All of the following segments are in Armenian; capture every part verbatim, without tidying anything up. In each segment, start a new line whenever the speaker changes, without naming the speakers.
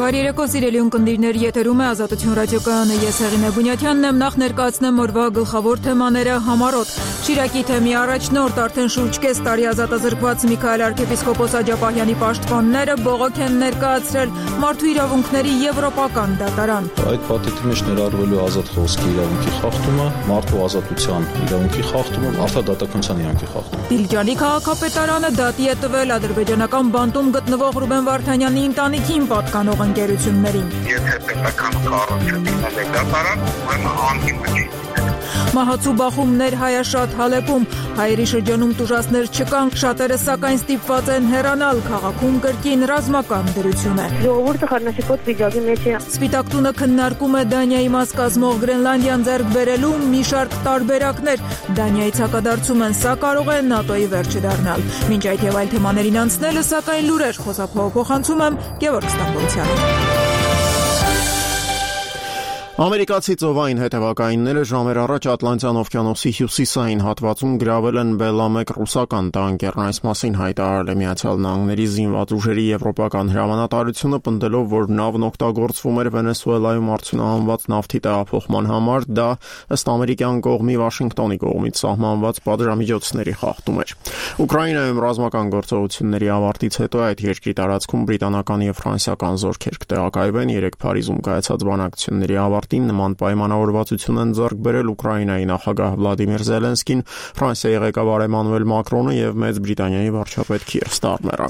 Բարի երեկո, սիրելի ունկնդիրներ, եթերում է Ազատություն ռադիոկայանը, ես Հեղինե Բունյաթյանն եմ, նախ ներկայացնեմ օրվա գլխավոր թեմաները համառոտ։ Շիրակի թեմի առաջնորդ արդեն շուրջ կես տարի ազատազրկված Միքայել arczepiskopos Աջապահյանի պաշտպանները բողոք են ներկայացրել Մարդու իրավունքների եվրոպական դատարան։
Այդ պատիվի մեջ ներառվելու ազատ խոսքի իրավունքի խախտումը, մարդու ազատության իրավունքի խախտումը, արդարադատականության իրավունքի խախտումը։
Դիլիջանի քաղաքապետարանը դատի է տվել ադրբեջանական բանտում գտնվող Ռուբեն Վարդանյանի ընտանիքին պատկանող ընկերություններին։
Եթե պետական կառույցը դիմել է դատարան, ուրեմն անդիմը չի։
Մահացու բախումներ Հայաշատ Հալեպում, հայերի շրջանում տուժածներ չկան, շատերը սակայն ստիպված են հեռանալ, քաղաքում կրկին ռազմական դրություն է։
Ժողովուրդը խառնաշփոթ վիճակի մեջ է։
Սպիտակ տունը քննարկում է Դանիայի մաս կազմող Գրենլանդիան ձեռք բերելու մի շարք տարբերակներ։ Դանիայից հակադարձում են, սա կարող է ՆԱՏՕ-ի վերջը դառնալ։ Մինչ այդ եւ այլ թեմաներին անցնելը, սակայն լուրեր խոսափողափոխանցում եմ Գևորգ Ստամբոլցյանին։
Ամերիկացի ծովային հետևակայինները ժամեր առաջ Ատլանտյան օվկիանոսի հյուսիսային հատվածում գրավել են բելամեկ ռուսական տանկերն, այս մասին հայտարարել է Միացյալ Նահանգների զինված ուժերի եվրոպական հրամանատարությունը, պնդելով, որ նավն օգտագործվում էր Վենեսուելայում արդյունահանված նավթի տեղափոխման համար, դա ըստ ամերիկյան կողմի Վաշինգտոնի կողմից սահմանված պատժամիջոցների խախտում էր։ Ուկրաինայում ռազմական գործողությունների ավարտից հետո այդ երկրի տարածքում բրիտանական եւ ֆրանսիական զորքեր կտեղակայվեն, երեք Փարիզում կայացած բանակցությունների ավարտին նման պայմանավորվածություն են ձեռք բերել Ուկրաինայի նախագահ Վլադիմիր Զելենսկին, Ֆրանսիայի ղեկավար Էմանուել Մակրոնը եւ Մեծ Բրիտանիայի վարչապետ Քիր Ստարմերը։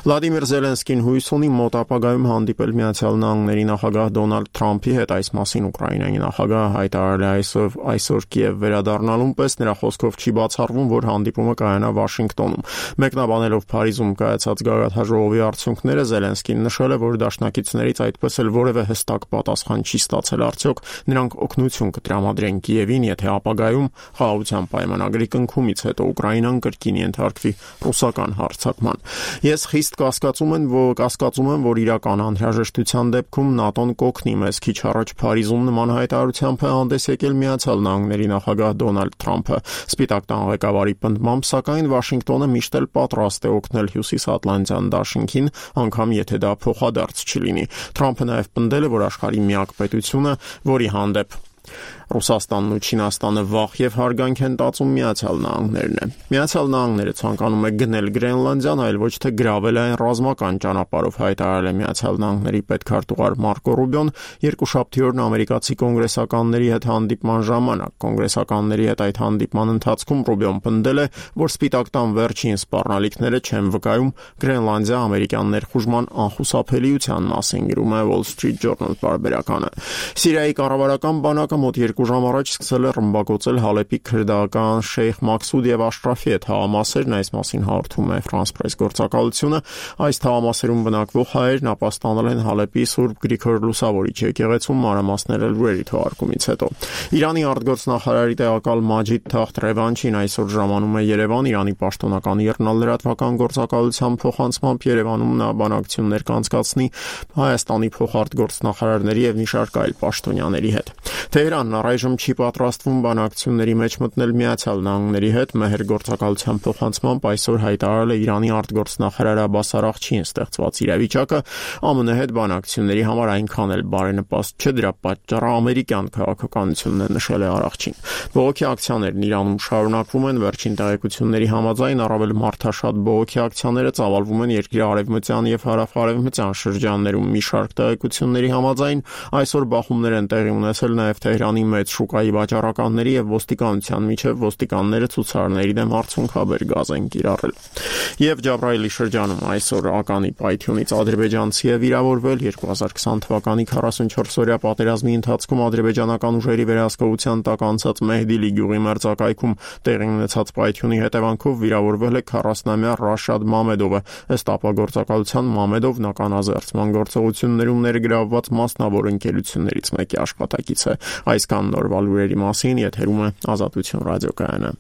Վլադիմիր Զելենսկին հույս ունի մոտ ապագայում հանդիպել Միացյալ Նահանգների նախագահ Դոնալդ Թրամփի հետ, այս մասին Ուկրաինայի նախագահը հայտարարել է այսօր այսօր Կիև վերադառնալուն պես, նրա խոսքով չի բացառվում, որ հանդիպումը կայանա Վաշինգտոնում։ Մեկնաբանելով Փարիզում կայացած գագաթնաժողովի արդյունքները, Զելենսկին նշել է, որ դաշնակիցներից այդպես էլ որևէ հստակ պատասխան չի ստացել, արդյոք նրանք օգնություն կտրամադրեն Կիևին, եթե ապագայում խաղաղության պայմանագրի կնքումից հետո Ուկրաինան կրկին ենթարկվի ռուսական հարձակման։ Ես խիստ կասկածում եմ, որ կասկածում եմ, որ իրական անհրաժեշտության դեպքում ՆԱՏՕ-ն կօգնի մեզ։ Քիչ առաջ Փարիզում նման հայտարարությամբ է հանդես եկել Միացյալ Նահանգների նախագահ Դոնալդ Թրամփը։ Սպիտակ տան ղեկավարի պնդմամբ, սակայն Վաշինգտոնը միշտ էլ պատրաստ է օգնել Հյուսիսատլանտյան դաշինքին, անգամ եթե դա փոխադարձ չլինի։ Թրամփը նաև պնդել է, որ աշխարհի միակ պետությունը, որի հանդեպ Ռուսաստանն ու Չինաստանը վախ եւ հարգանք են տածում Միացյալ Նահանգներն է։ Միացյալ Նահանգները ցանկանում է գնել Գրենլանդիան, այլ ոչ թե գրավել այն ռազմական ճանապարհով, հայտարարել է Միացյալ Նահանգների պետքարտուղար Մարկո Ռուբիոն երկուշաբթի օրն ամերիկացի կոնգրեսականների հետ հանդիպման ժամանակ։ Կոնգրեսականների հետ այդ հանդիպման ընթացքում Ռուբիոն պնդել է, որ Սպիտակ տան վերջին սպառնալիքները չեն վկայում Գրենլանդիա ամերիկյան ներխուժման անխուսափելիության մասին, գրում է Wall Street Journal պարբերականը։ Սիրիայի կառավարական բանակը մոտ երկու ժամ առաջ սկսել է ռմբակոծել Հալեպի քրդական Շեյխ Մաքսուդ եւ Աշրաֆի հետ թաղամասերն, այս մասին հաղորդում է France Press գործակալությունը։ Այս թաղամասերում բնակվող հայերն ապաստանել են Հալեպի Սուրբ Գրիգոր Լուսավորիչ եկեղեցում, մանրամասները լուրերի թողարկումից հետո։ Իրանի արտգործնախարարի տեղակալ Մաջիդ Թախտ Ռևանչին այսօր ժամանում է Երևան, Իրանի պաշտոնական եռնալրատվական գործակալության փոխանցմամբ Երևանում նա բանակցություններ կանցկացնի Հայաստանի փոխարտգործնախարարների եւ մի շարք այլ պաշտոնյաների հետ։ Թեհրանն առայժմ չի պատրաստվում բանակցությունների մեջ մտնել Միացյալ Նահանգների հետ, Մեհեր գործակալության փոխանցմամբ այսօր հայտարարել է Իրանի արտգործնախարար Աբբաս Արաղչին ստեղծված իրավիճակը ԱՄՆ հետ բանակցությունների համար այնքան էլ բարենպաստ չէ, դրա պատճառը ամերիկյան քաղաքականությունն է, նշել է Արաղչին։ Բողոքի ակցիաներն Իրանում շարունակվում են, վերջին տեղեկությունների համաձայն առավել մարդաշատ բողոքի ակցիաները ծավալվում են երկրի արևմտյան եւ հարավ-արևմտյան շրջաններում։ Մի շարք տեղեկությունների համաձայն այսօր բախումներ են տեղի ունեցել նաև Թեհրանի մեծ շուկայի վաճառականների եւ ոստիկանության միջև, ոստիկանները ցուցարարների դեմ արցունքաբեր գազ են կիրառել։ Եվ Ջաբրայելի շրջանում այսօր ականի պայթյունից ադրբեջանցի է վիրավորվել։ երկու հազար քսան թվականի քառասունչորս-օրյա պատերազմի ընթացքում ադրբեջանական ուժերի վերահսկողության տակ անցած Մեհդիլի գյուղի մերձակայքում տեղի ունեցած պայթյունի հետևանքով վիրավորվել է քառասունամյա Ռաշադ Մամեդովը։ Ըստ ապագործակալության Մամեդովն ականազերծման գործողություններում ներգրավված մասնավոր ընկերություններից մեկի աշխատակից է։ Այսքան նորվա լուրերի մասին եթերում է Ազատություն ռադիոկայանը։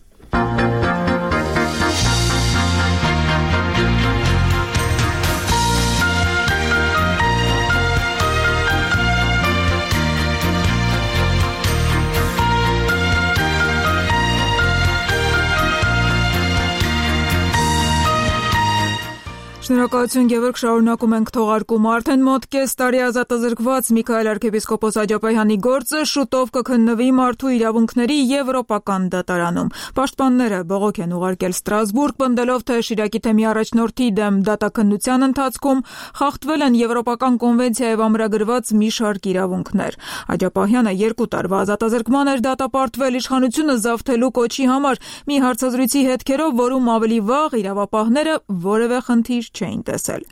Շնորհակալություն, Գևորգ, շարունակում ենք թողարկումը։ Արդեն մոտ կես տարի ազատազրկված Միքայել arczepiskopos Աջապահյանի գործը շուտով կքննվի Մարդու իրավունքների եվրոպական դատարանում։ Պաշտպանները բողոք են ուղարկել Ստրասբուրգ, պնդելով, թե Շիրակի թեմի առաջնորդի դեմ դատաքննության ընթացքում խախտվել են եվրոպական կոնվենցիայով ամրագրված մի շարք իրավունքներ։ Աջապահյանը երկու տարվա ազատազրկման էր դատապարտվել իշխանությունը զավթելու կոչի համար մի հարցազրույցի հետքերով, որում ավելի վաղ իրավապահները որևէ խնդիր չէին տեսել։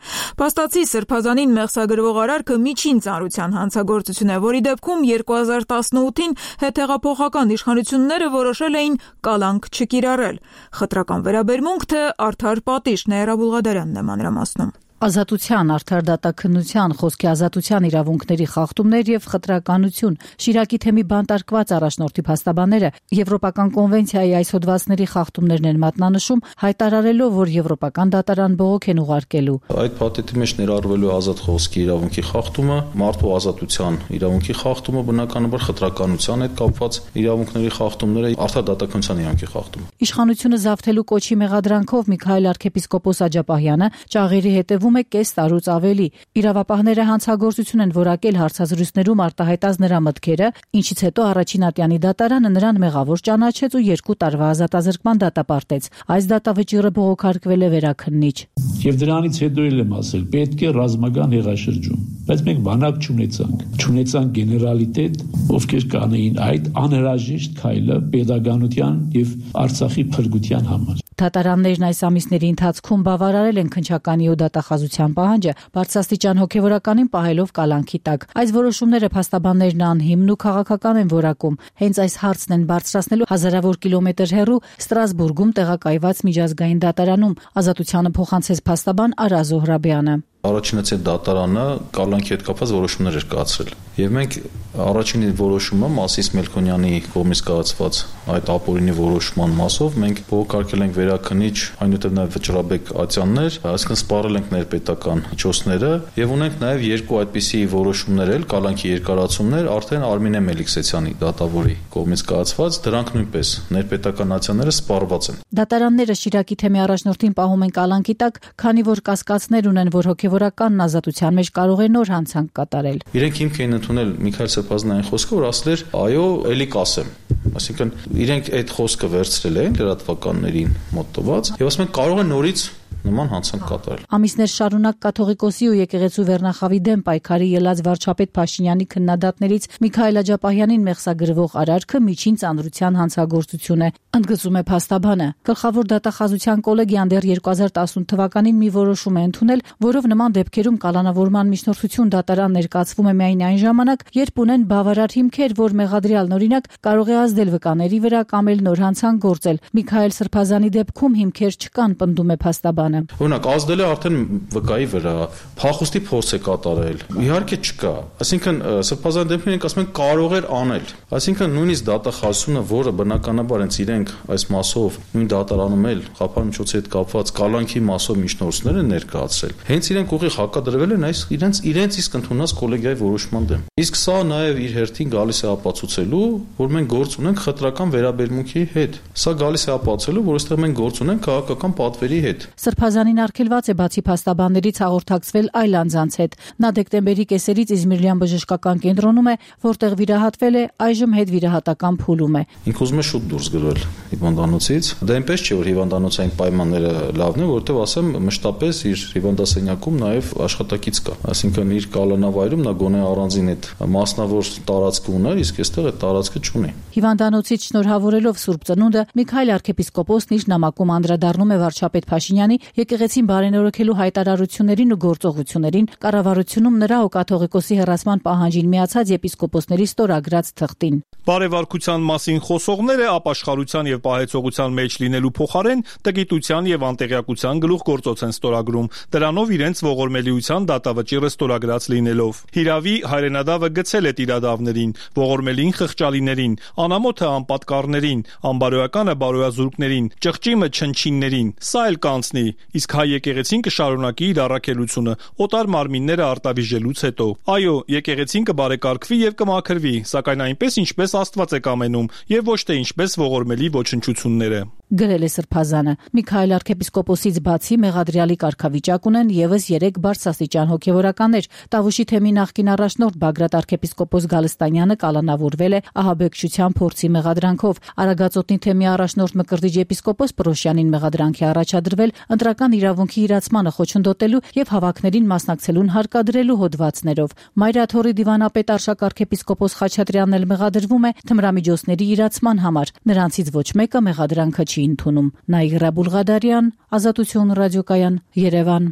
Փաստացի Սրբազանին մեղսագրվող արարքը միջին ծանրության հանցագործություն է, որի դեպքում երկու հազար տասնութին հետհեղափոխական իշխանությունները որոշել էին կալանք չկիրառել։ Խտրական վերաբերմունք, թե արդար պատիժ, Նեյրա Բուլղադարյանն է մանրամասնում։
Ազատության, արդար դատաքննության, խոսքի ազատության իրավունքների խախտումներ եւ խտրականություն, Շիրակի թեմի բանտարկված առաջնորդի փաստաբանները եվրոպական կոնվենցիայի այս հոդվածների խախտումներն են մատնանշում, հայտարարելով, որ եվրոպական դատարան բողոք են ուղարկելու։
Այդ փաթեթի մեջ ներառվելու ազատ խոսքի իրավունքի խախտումը, մարդու ազատության իրավունքի խախտումը, բնականաբար խտրականության հետ կապված իրավունքների խախտումները, արդար դատաքննության իրավունքի խախտումը։
Իշխանությունը զավթելու կոչի մեղադրանքով Միքայել arczepiskopos Աջապահյանը ճաղերի հետևում է կես տարուց ավելի։ Իրավապահները հանցագործություն են որակել հարցազրույցներում արտահայտած նրա մտքերը, ինչից հետո առաջին ատյանի դատարանը նրան մեղավոր ճանաչեց ու երկու տարվա ազատազրկման դատապարտեց։ Այս դատավճիռը բողոքարկվել է վերաքննիչ։
Եվ դրանից հետո էլ եմ ասել, պետք է ռազմական հեղաշրջում, բայց մենք բանակ չունեցանք, չունեցանք գեներալիտետ, ովքեր կանեին այդ անհրաժեշտ քայլը պետականության եւ Արցախի փրկության համար։
Դատարաններն այս ամիսների ընթացքում բավարարել են քննչականի ու դատախազության պահանջը, բարձրաստիճան հոգեվորականին պահելով կալանքի տակ։ Այս որոշումները փաստաբաններն անհիմն ու քաղաքական են որակում։ Հենց այս հարցն են բարձրացնելու հազարավոր կիլոմետր հեռու Ստրասբուրգում տեղակայված միջազգային դատարանում, ազատությանը փոխանցեց փաստաբան Արա Զոհրաբյանը։
Առաջինացի դատարանը կալանքի հետ կապված որոշումներ էր կայացրել։ Եվ մենք առաջին որոշումը Մասիս Մելքոնյանի կողմից կայացված այդ ապօրինի որոշման մասով մենք բողոքարկել ենք վերաքննիչ, այնուհետև նաև Վճռաբեկ Ատյաններ, այսինքն սպառել ենք ներպետական միջոցները եւ ունենք նաև երկու այդպիսի որոշումներ էլ կալանքի երկարացումներ արդեն Արմինե Մելիքսեցյանի դատավորի կողմից կայացված, դրանք նույնպես ներպետական ատյանները սպառված են։
Դատարանները Շիրակի թեմի առաջնորդին պահում են կալանքի տակ, քանի որ կասկածներ ունեն, որ հոգեվորական ազատության մեջ կարող է նոր հանցանք կատարել։
Իրենք հիմք էին ընդունել Միքայել Սրբազանյանի խոսքը, որ ասել էր, այո, էլի կասեմ։ Այսինքն իրենք այդ խոսքը վերցրել են լրատվականներին մոտված եւ ասում են կարող է նորից նման հանցանք կատարել։
Ամիսներ շարունակ կաթողիկոսի ու եկեղեցու վերնախավի դեմ պայքարի ելած վարչապետ Փաշինյանի քննադատներից Միքայել Աջապահյանին մեղսագրվող արարքը միջին ծանրության հանցագործություն է, ընդգծում է փաստաբանը։ Գլխավոր դատախազության կոլեգիան դեռ երկու հազար տասնութ թվականին մի որոշում է ընդունել, որով նման դեպքերում կալանավորման միջնորդություն դատարան ներկայացվում է միայն այն ժամանակ, երբ ունեն բավարար հիմքեր, որ մեղադրյալն օրինակ կարող է ազդել վկաների վրա կամ էլ նոր հանցանք գործել։ Միքայել Սրբազանի դեպքում հիմքեր չկան, պնդում է փաստաբանը։
Օրինակ ազդել է արդեն վկայի վրա, փախուստի փորձ է կատարել։ Իհարկե չկա։ Այսինքն Սրբազանի դեպքում իրենք ասում են կարող էր անել։ Այսինքն նույնիսկ դատախազությունը, որը բնականաբար հենց իրենք այս մասով նույն դատարանում էլ խափան միջոցի հետ կապված կալանքի մասով միջնորդներ են ներկայացրել, հենց իրենք ուղիղ հակադրվել են այս իրենց իրենց իսկ ընդունած կոլեգիայի որոշման դեմ։ Իսկ սա նաև իր հերթին գալիս է ապացուցելու, որ մենք գործ ունենք խտրական վերաբերմունքի հետ։ Սա գալիս է ապացուցելու, որ այստեղ մենք գործ ունենք քաղաքական պատվերի հետ։
Սրբազանին արգելված է բացի փաստաբաններից հաղորդակցվել այլ անձանց հետ։ Նա դեկտեմբերի կեսերից Իզմիրլյան բժշկական կենտրոնում է, որտեղ վիրահատվել է, այժմ հետ վիրահատական փուլում է։
Ինքը ուզում է շուտ դուրս գրվել հիվանդանոցից։ Դա այնպես չէ, որ հիվանդանոցային պայմանները լավն են, որովհետև ասեմ, մշտապես իր հիվանդասենյակում նաև աշխատակից կա։ Այսինքն իր կալանավայրում նա գոնե առանձին այդ մասնավոր տարածք ուներ, իսկ այստեղ այդ տարածքը չունի։
Հիվանդանոցից շնորհավորելով Սուրբ Ծնունդը Միքայել arczepiskopos-ն իր նամակում անդրադառնում է վարչապետ Փաշինյանի եկեղեցին բարենորոգելու հայտարարություններին ու գործողություններին, կառավարությունում նրա ու կաթողիկոսի հեռացման պահանջին միացած եպիսկոպոսների ստորագրած թղթին։
Բարեվարկության մասին խոսողները ապաշխարության եւ պահեցողության մեջ լինելու փոխարեն տգիտության եւ անտեղյակության գլուխգործոց են ստորագրում, դրանով իրենց ողորմելիության դատավճիռը ստորագրած լինելով։ Հիրավի հայրենադավը գցել է տիրադավներին, ողորմելին խղճալիներին, անամոթը անպատկառներին, անբարոյականը բարոյազուրկներին, ճղճիմը չնչիններին։ Սա էլ կանցնի, իսկ հայ եկեղեցին կշարունակի իր առաքելությունը օտար մարմինները արտավիժելուց հետո։ Այո, եկեղեցին կբարեկարգվի եւ կմաքրվի, սակայն այնպես ինչպես Աստված է կամենում եւ ոչ թե ինչպես ողորմելի ոչնչությունները։
գրել է Սրբազանը։ Միքայել arczepiskoposից բացի մեղադրյալի կարգավիճակ ունեն եւս երեք բարձրաստիճան հոգեվորականներ։ Տավուշի թեմի նախկին առաջնորդ Բագրատ arczepiskopos Գալստանյանը կալանավորվել է ահաբեկչության փորձի մեղադրանքով։ Արագածոտնի թեմի առաջնորդ Մկրտիչ եպիսկոպոս Պրոշյանին մեղադրանքի առաջադրվել ընտրական իրավունքի իրացմանը խոչընդոտելու եւ հավաքներին մասնակցելուն հարկադրելու հոդվածներով։ Մայրաթորի դիվանապետ Արշակ arczepiskopos Խաչատրյանն էլ մեղադրվում է թմրամիջոցների իրացման համար։ Նրանցից ոչ մեկը մեղադրանքը չի ընդունում։ Նաիրա Բուլղադարյան, Ազատություն ռադիոկայան, Երևան։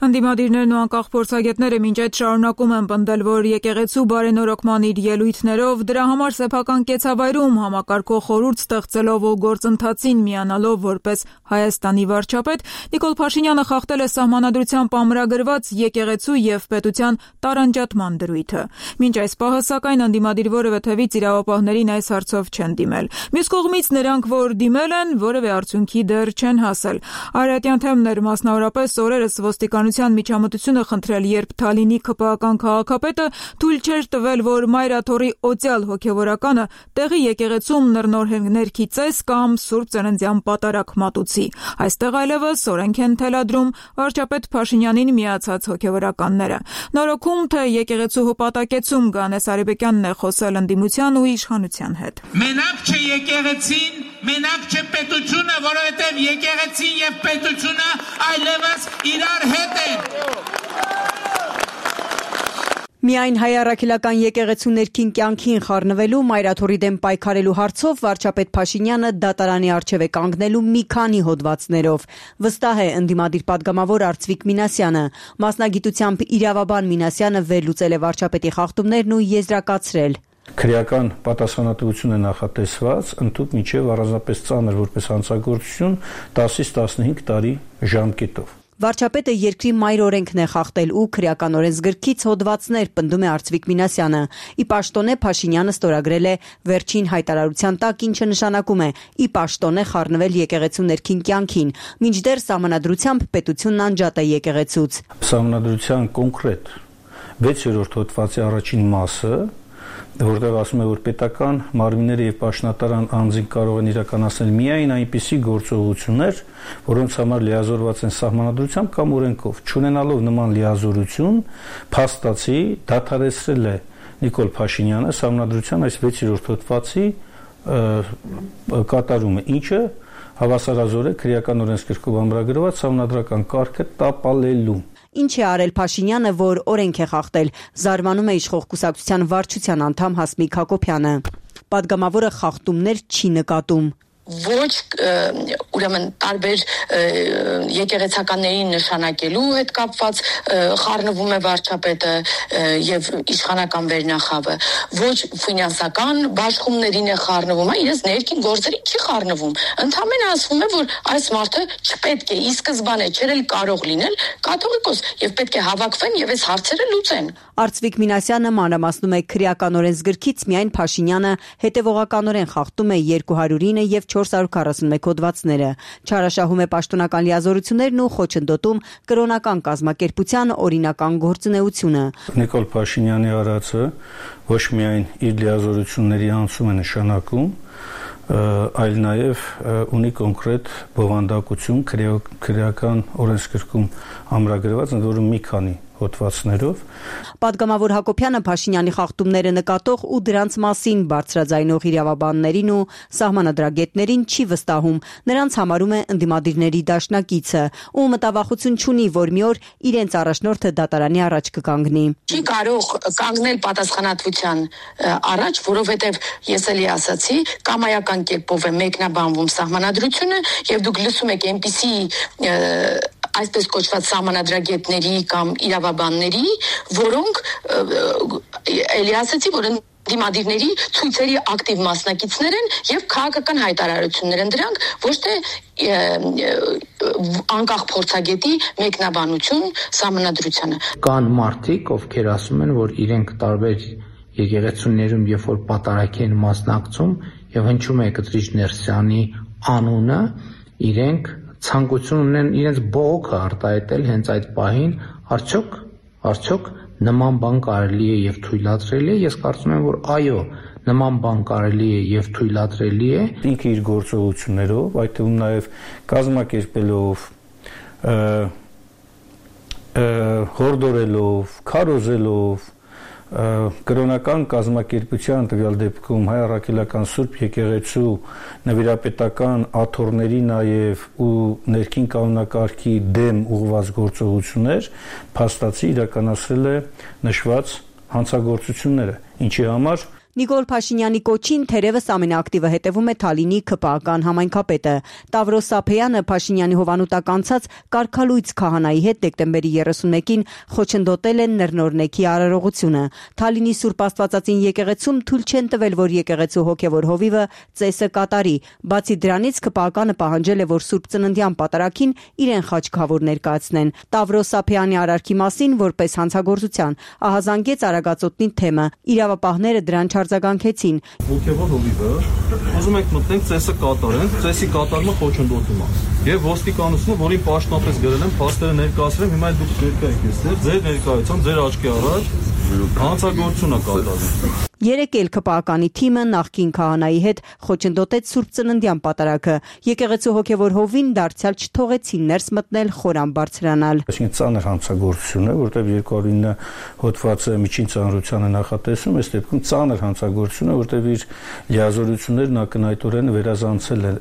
Ընդդիմադիրներն ու անկախ փորձագետները մինչ այդ շարունակում են պնդել, որ եկեղեցու բարենորոգման իր ելույթներով դրա համար սեփական կեցավայրում համակարգող խորհուրդ ստեղծելով ու գործընթացին միանալով որպես Հայաստանի վարչապետ, Նիկոլ Փաշինյանը խախտել է սահմանադրությամբ ամրագրված եկեղեցու եւ պետության տարանջատման դրույթը։ Մինչ այս պահը, սակայն, ընդդիմադիր որևէ թևից իրավապահներին այս հարցով չեն դիմել։ Մյուս կողմից նրանք, որ դիմել են, որևէ արդյունքի դեռ չեն հասել։ Արարատյան թեմներ, մասնավորապես օրերս ոստիկանության միջամտությունը խնդրել, երբ Թալինի ՔՊԱ-ական քաղաքապետը թույլ չէր տվել, որ Մայրաթորի օծյալ հոգևորականը տեղի եկեղեցում նռնորհենգներքի ծես կամ Սուրբ Ծննդյան պատարակ մատուցի։ Այստեղ այլևս օրենք են թելադրում վարչապետ Փաշինյանին միացած հոգևորականները։ Նորոգում թե եկեղեցու հպատակեցում Գանես Արեբեկյանն է խոսել ընդդիմության ու իշխանության հետ։
Մենակ չէ եկեղեցին, մենակ չէ պետությունը, որովհետև եկեղեցին եւ պետությունը այլևս իրար հետ են։
Միայն հայ առաքելական եկեղեցու ներքին կյանքին խառնվելու, Մայրաթորի դեմ պայքարելու հարցով վարչապետ Փաշինյանը դատարանի առջև է կանգնելու մի քանի հոդվածներով։ Վստահ է ընդդիմադիր պատգամավոր Արծվիկ Մինասյանը։ Մասնագիտությամբ իրավաբան Մինասյանը վերլուծել է վարչապետի խախտումներն ու եզրակացրել.
Քրեական պատասխանատվություն է նախատեսված ընդհանուր միջև առանձնապես ծանր որպես հանցագործություն դասից տասնհինգ տարի ժամկետով։
Վարչապետը երկրի մայր օրենքն է խախտել ու քրեական օրենսգրքից հոդվածներ, պնդում է Արծվիկ Մինասյանը։ Ի պաշտոնե Փաշինյանը ստորագրել է վերջին հայտարարության տակ, ինչը նշանակում է ի պաշտոնե խառնվել եկեղեցու ներքին կյանքին, մինչդեռ սահմանադրությամբ պետությունն անջատ է եկեղեցուց։
Սահմանադրության կոնկրետ վեցերորդ հոդվածի առաջին մասը, որտեղ ասում է, որ պետական մարմինները եւ պաշտոնատարան անձին կարող են իրականացնել միայն այնպիսի գործողություններ, որոնց համար լիազորված են սահմանադրությամբ կամ օրենքով։ Չունենալով նման լիազորություն, փաստացի դադարեցրել է Նիկոլ Փաշինյանը սահմանադրության այս վեցերորդ հոդվածի կատարումը, ինչը հավասարազոր է քրեական օրենսգրքով ամրագրված սահմանադրական կարգը տապալելու։
Ինչ է արել Փաշինյանը, որ օրենք է խախտել, զարմանում է իշխող կուսակցության վարչության անդամ Հասմիկ Հակոբյանը։ Պատգամավորը խախտումներ չի նկատում։
Ոչ ուրեմն տարբեր եկեղեցականների նշանակելու հետ կապված խառնվում է վարչապետը եւ իշխանական վերնախավը, ոչ ֆինանսական բաշխումներին է խառնվում, այլ իրենց ներքին գործերին չի խառնվում։ Ընդհանրապես ասվում է, որ այս մարդը չպետք է ի սկզբանե չէր էլ կարող լինել կաթողիկոս եւ պետք է հավաքվեն եւ այս հարցերը լուծեն։
Արծվիկ Մինասյանը մանրամասնում է քրեական օրենսգրքից միայն Փաշինյանը հետևողականորեն խախտում է երկու հարյուր ինը եւ չորս հարյուր քառասունմեկ հոդվածները, չարաշահում է պաշտոնական լիազորություններն ու խոչընդոտում կրոնական կազմակերպության օրինական գործունեությունը։
Նիկոլ Փաշինյանի արածը ոչ միայն իր լիազորությունների անցում է նշանակում, այլ նաև ունի կոնկրետ բովանդակություն քրեական օրենսգրքում ամրագրված, ընդ որում մի քանի հոդվածներով։
Պատգամավոր Հակոբյանը Փաշինյանի խախտումները նկատող ու դրանց մասին բարձրաձայնող իրավաբաններին ու սահմանադրագետներին չի վստահում, նրանց համարում է ընդդիմադիրների դաշնակիցը ու մտավախություն չունի, որ մի օր իրենց առաջնորդը դատարանի առաջ կկանգնի։
Չի կարող կանգնել պատասխանատվության առաջ, որովհետև ես էլի ասացի, կամայական կերպով է մեկնաբանվում սահմանադրությունը եւ դուք լսում եք այնպիսի այսպես կոչված սահմանադրագետների կամ իրավաբանների, որոնք էլի ասացի, որ դիմադիրների ցույցերի ակտիվ մասնակիցներ են եւ քաղաքական հայտարարություններ են դրանք, ոչ թե անկախ փորձագետի մեկնաբանություն սահմանադրությանը։
Կան մարդիկ, ովքեր ասում են, որ իրենք տարբեր եկեղեցիներում երբ որ պատարագի են մասնակցում եւ հնչում է Կտրիչ Ներսյանի անունը, իրենք ցանկություն ունեն իրենց բողոքը արտահայտել հենց այդ պահին, արդյոք արդյոք նման բան կարելի է եւ թույլատրելի է։ Ես կարծում եմ, որ այո, նման բան կարելի է եւ թույլատրելի է։
Ինքը իր գործողություններով, այդ թվում նաեւ կազմակերպելով, հորդորելով, քարոզելով կրոնական կազմակերպության տվյալ դեպքում հայ առաքելական Սուրբ Եկեղեցու նվիրապետական աթոռների նաև ու ներքին կանոնակարգի դեմ ուղղված գործողություններ փաստացի իրականացրել է նշված հանցագործությունները, ինչի համար
Նիկոլ Փաշինյանի կոչին թերևս ամենաակտիվը հետևում է Թալինի ՔՊԱ-ական համայնքապետը։ Տավրոս Սափեյանը Փաշինյանի հովանուտակ անցած կարգալույց քահանայի հետ դեկտեմբերի երեսունմեկին խոչընդոտել են նռնորնեքի արարողությունը։ Թալինի Սուրբ Աստվածածին եկեղեցում թույլ չեն տվել, որ եկեղեցու հոգևոր հովիվը ծեսը կատարի։ Բացի դրանից ՔՊԱ-կանը պահանջել է, որ Սուրբ Ծննդյան պատարագին իրեն խաչքավոր ներկայացնեն։ Տավրոս Սափեյանի արարքի մասին որպես հանցագործության ահազանգեց Արագածոտնի թեմը։ Իրավապահները դրան արձագանքեցին։
Հոգևոր հովիվը ուզում ենք մտնենք ծեսը կատարենք, ծեսի կատարումը խոչընդոտում է։ Եվ ոստիկանությունը, որին պաշտոնապես գրել են, փաստերը ներկայացրել, հիմա դուք ներկա եք այստեղ, ձեր ներկայությամբ, ձեր աչքի առաջ հանցագործություն է կատարվում։
Երեք էլ ՔՊԱ-կանի թիմը նախկին քահանայի հետ խոչընդոտեց Սուրբ Ծննդյան պատարագը։ Եկեղեցու հոգևոր հովին դարձյալ չթողեցին ներս մտնել խորան բարձրանալ։
Այսինքն ծանր հանցագործություն է, որտեղ երկու հարյուր ինը հոդվածը միջին ծանրությանը նախատեսում, այս դեպքում ծանր հանցագործություն է, որտեղ իր լիազորություններն ակնհայտորեն վերազանցել է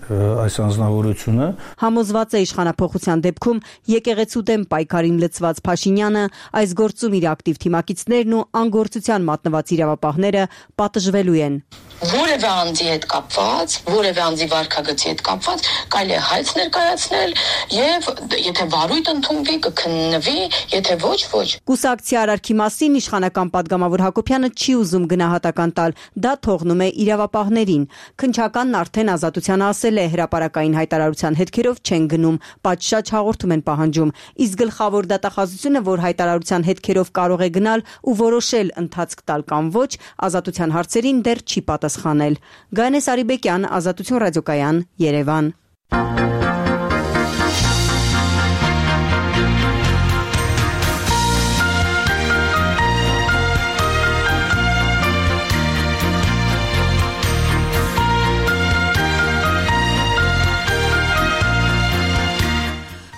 այս անձնավորությունը։
Համոզված է իշխանափոխության դեպքում եկեղեցու դեմ պայքարին լծված Փաշինյանը այս գործում իր ակտիվ թիմակիցներն ու անգործության մատնված իրավապահները պատժվելու են։
Որևէ անձի հետ կապված, որևէ անձի վարքագծի հետ կապված կարելի է հայց ներկայացնել եւ եթե վարույթ ընդունվի կքննվի, եթե ոչ, ոչ։
Կուսակցի արարքի մասին իշխանական падգամավոր Հակոբյանը չի ուզում գնահատական տալ, դա թողնում է իրավապահներին։ Քննչականն արդեն Ազատությանը ասել է, հրապարակային հայտարարության հետքերով չեն գնում, պատշաճ հաղորդում են պահանջում, իսկ գլխավոր դատախազությունը, որ հայտարարության հետքերով կարող է գնալ ու որոշել ընթացք տալ կամ ոչ, Ազատության հարցերին դեռ չի պատասխանել։ Գայանե Սարիբեկյան, Ազատություն ռադիոկայան, Երևան։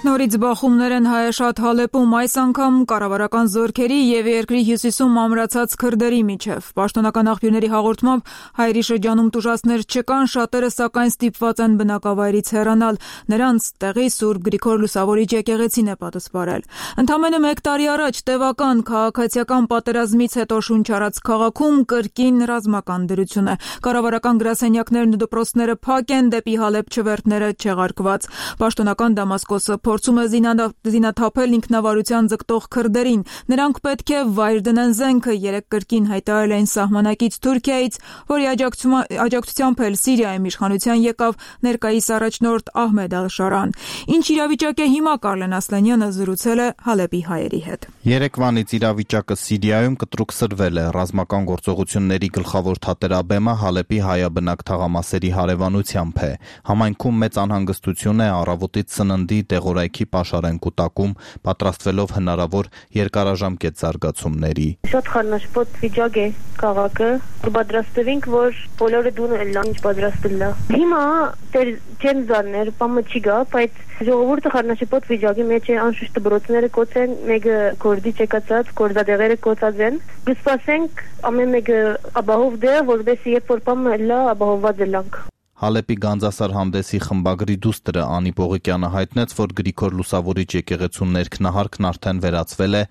Նորից բախումներ են Հայաշատ Հալեպում, այս անգամ կառավարական զորքերի եւ երկրի հյուսիսում ամրացած քրդերի միջև։ Պաշտոնական աղբյուրների հաղորդմամբ հայերի շրջանում տուժածներ չկան, շատերը սակայն ստիպված են բնակավայրից հեռանալ։ Նրանց տեղի Սուրբ Գրիգոր Լուսավորիչ եկեղեցին է պատասխանել։ Ընդամենը մեկ տարի առաջ տևական քաղաքացիական պատերազմից հետո շունչ առած քաղաքում կրկին ռազմական դրություն է։ Կառավարական գրասենյակներն ու դպրոցները փակ են, դեպի Հալեպ չվերթները չեղարկված։ Պաշտոնական Դամասկոսը փորձում է զինաթափել ինքնավարության ձգտող քրդերին։ Նրանք պետք է վայր դնեն զենքը, երեք կրկին հայտարարել էին սահմանակից Թուրքիայից, որի աջակցությամբ էլ Սիրիայում իշխանության եկավ ներկայիս առաջնորդ Ահմեդ Ալ-Շարան։ Ինչ իրավիճակ է հիմա, Կարլեն Ասլանյանը զրուցել է Հալեպի հայերի հետ։
Երեկվանից իրավիճակը Սիրիայում կտրուկ սրվել է։ Ռազմական գործողությունների գլխավոր թատերաբեմը Հալեպի հայաբնակ թաղամասերի հարևանությամբ է։ Համայնքում մեծ անհանգստություն է առավոտից սննդի տեղորայքի պաշարեն կուտակում, պատրաստվելով հնարավոր երկարաժամկետ զարգացումների։
Շատ խառնաշփոթ վիճակ է քաղաքը, պատրաստվենք, որ բոլորը դունը լան ինչ պատրաստել է։ Հիմա դեր չեն զարներ, բամը չի գա, բայց ժողովուրդը խառնաշփոթ վիճակի մեջ է, անշուշտ դպրոցները կոց են, մեկը կորդի չեկացած, կորզադեղերը կոծած են։ Գսպասենք ամեն մեկը ապահով դե, որովհետեւ երբ որ բամը լա ապահովված լանք։
Հալեպի Գանձասար հանդեսի խմբագրի դուստրը Անի Պողիկյանը հայտնեց, որ Գրիգոր Լուսավորիչ եկեղեցու ներքնահարկն արդեն վերածվել է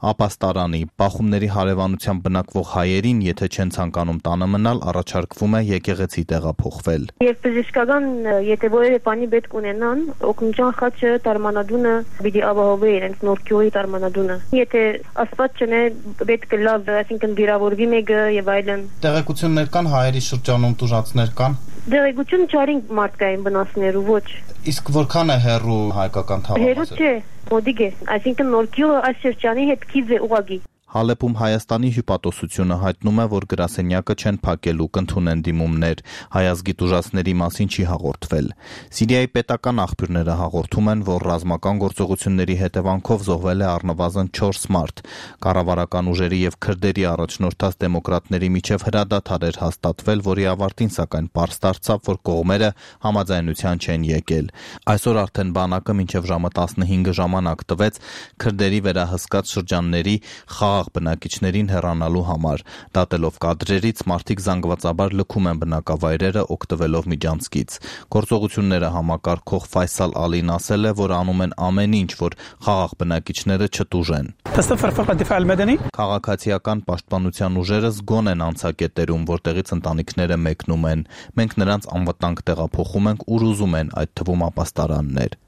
ապաստարանի։ Բախումների հարևանությամբ բնակվող հայերին, եթե չեն ցանկանում տանը մնալ, առաջարկվում է եկեղեցի տեղափոխվել։
Եվ բժշկական, եթե որևէ բանի պետք ունենան, օգնության խաչը տարմանադունը պիտի ապահովի իրենց նորքյուղի տարմանադունը։ Եթե Աստված չնե պետք է լավ, այսինքն վիրավորվի մեկը եւ այլն։
Տեղեկություններ կան հայերի շրջանում տուժածներ կան։
Դեղեցություն չարին մարդկային վնասներու ոչ։
Իսկ որքան է հեռու հայկական թաղամասը։
Հեռու չէ, մոդիկ է, այսինքն նորքյուղը այս շրջանի հետ քիզ է ուղագի։
Հալեպում Հայաստանի հյուպատոսությունը հայտնում է, որ գրասենյակը չեն փակելու, կընդունեն դիմումներ, հայազգի տուժածների մասին չի հաղորդվել։ Սիրիայի պետական աղբյուրները հաղորդում են, որ ռազմական գործողությունների հետևանքով զոհվել է առնվազն չորս մարդ։ Կառավարական ուժերի եւ քրդերի առաջնորդած դեմոկրատների միջև հրադադար էր հաստատվել, որի ավարտին սակայն պարզ դարձավ, որ կողմերը համաձայնության չեն եկել։ Այսօր արդեն բանակը մինչև ժամը տասնհինգը ժամանակ տվեց քրդերի վերահսկած շրջանների խաղաղ բնակիչներին հեռանալու համար։ Դատելով կադրերից մարդիկ զանգվածաբար լքում են բնակավայրերը օգտվելով միջանցքից։ Գործողությունները համակարգող Ֆայսալ Ալին ասել է, որ անում են ամեն ինչ, որ խաղաղ բնակիչները չտուժեն։ Քաղաքացիական պաշտպանության ուժերը զգոն են անցակետերում, որտեղից ընտանիքները մեկնում են։ Մենք նրանց անվտանգ տեղափոխում ենք, ուր ուզում են, այդ թվում ապաստարաններ։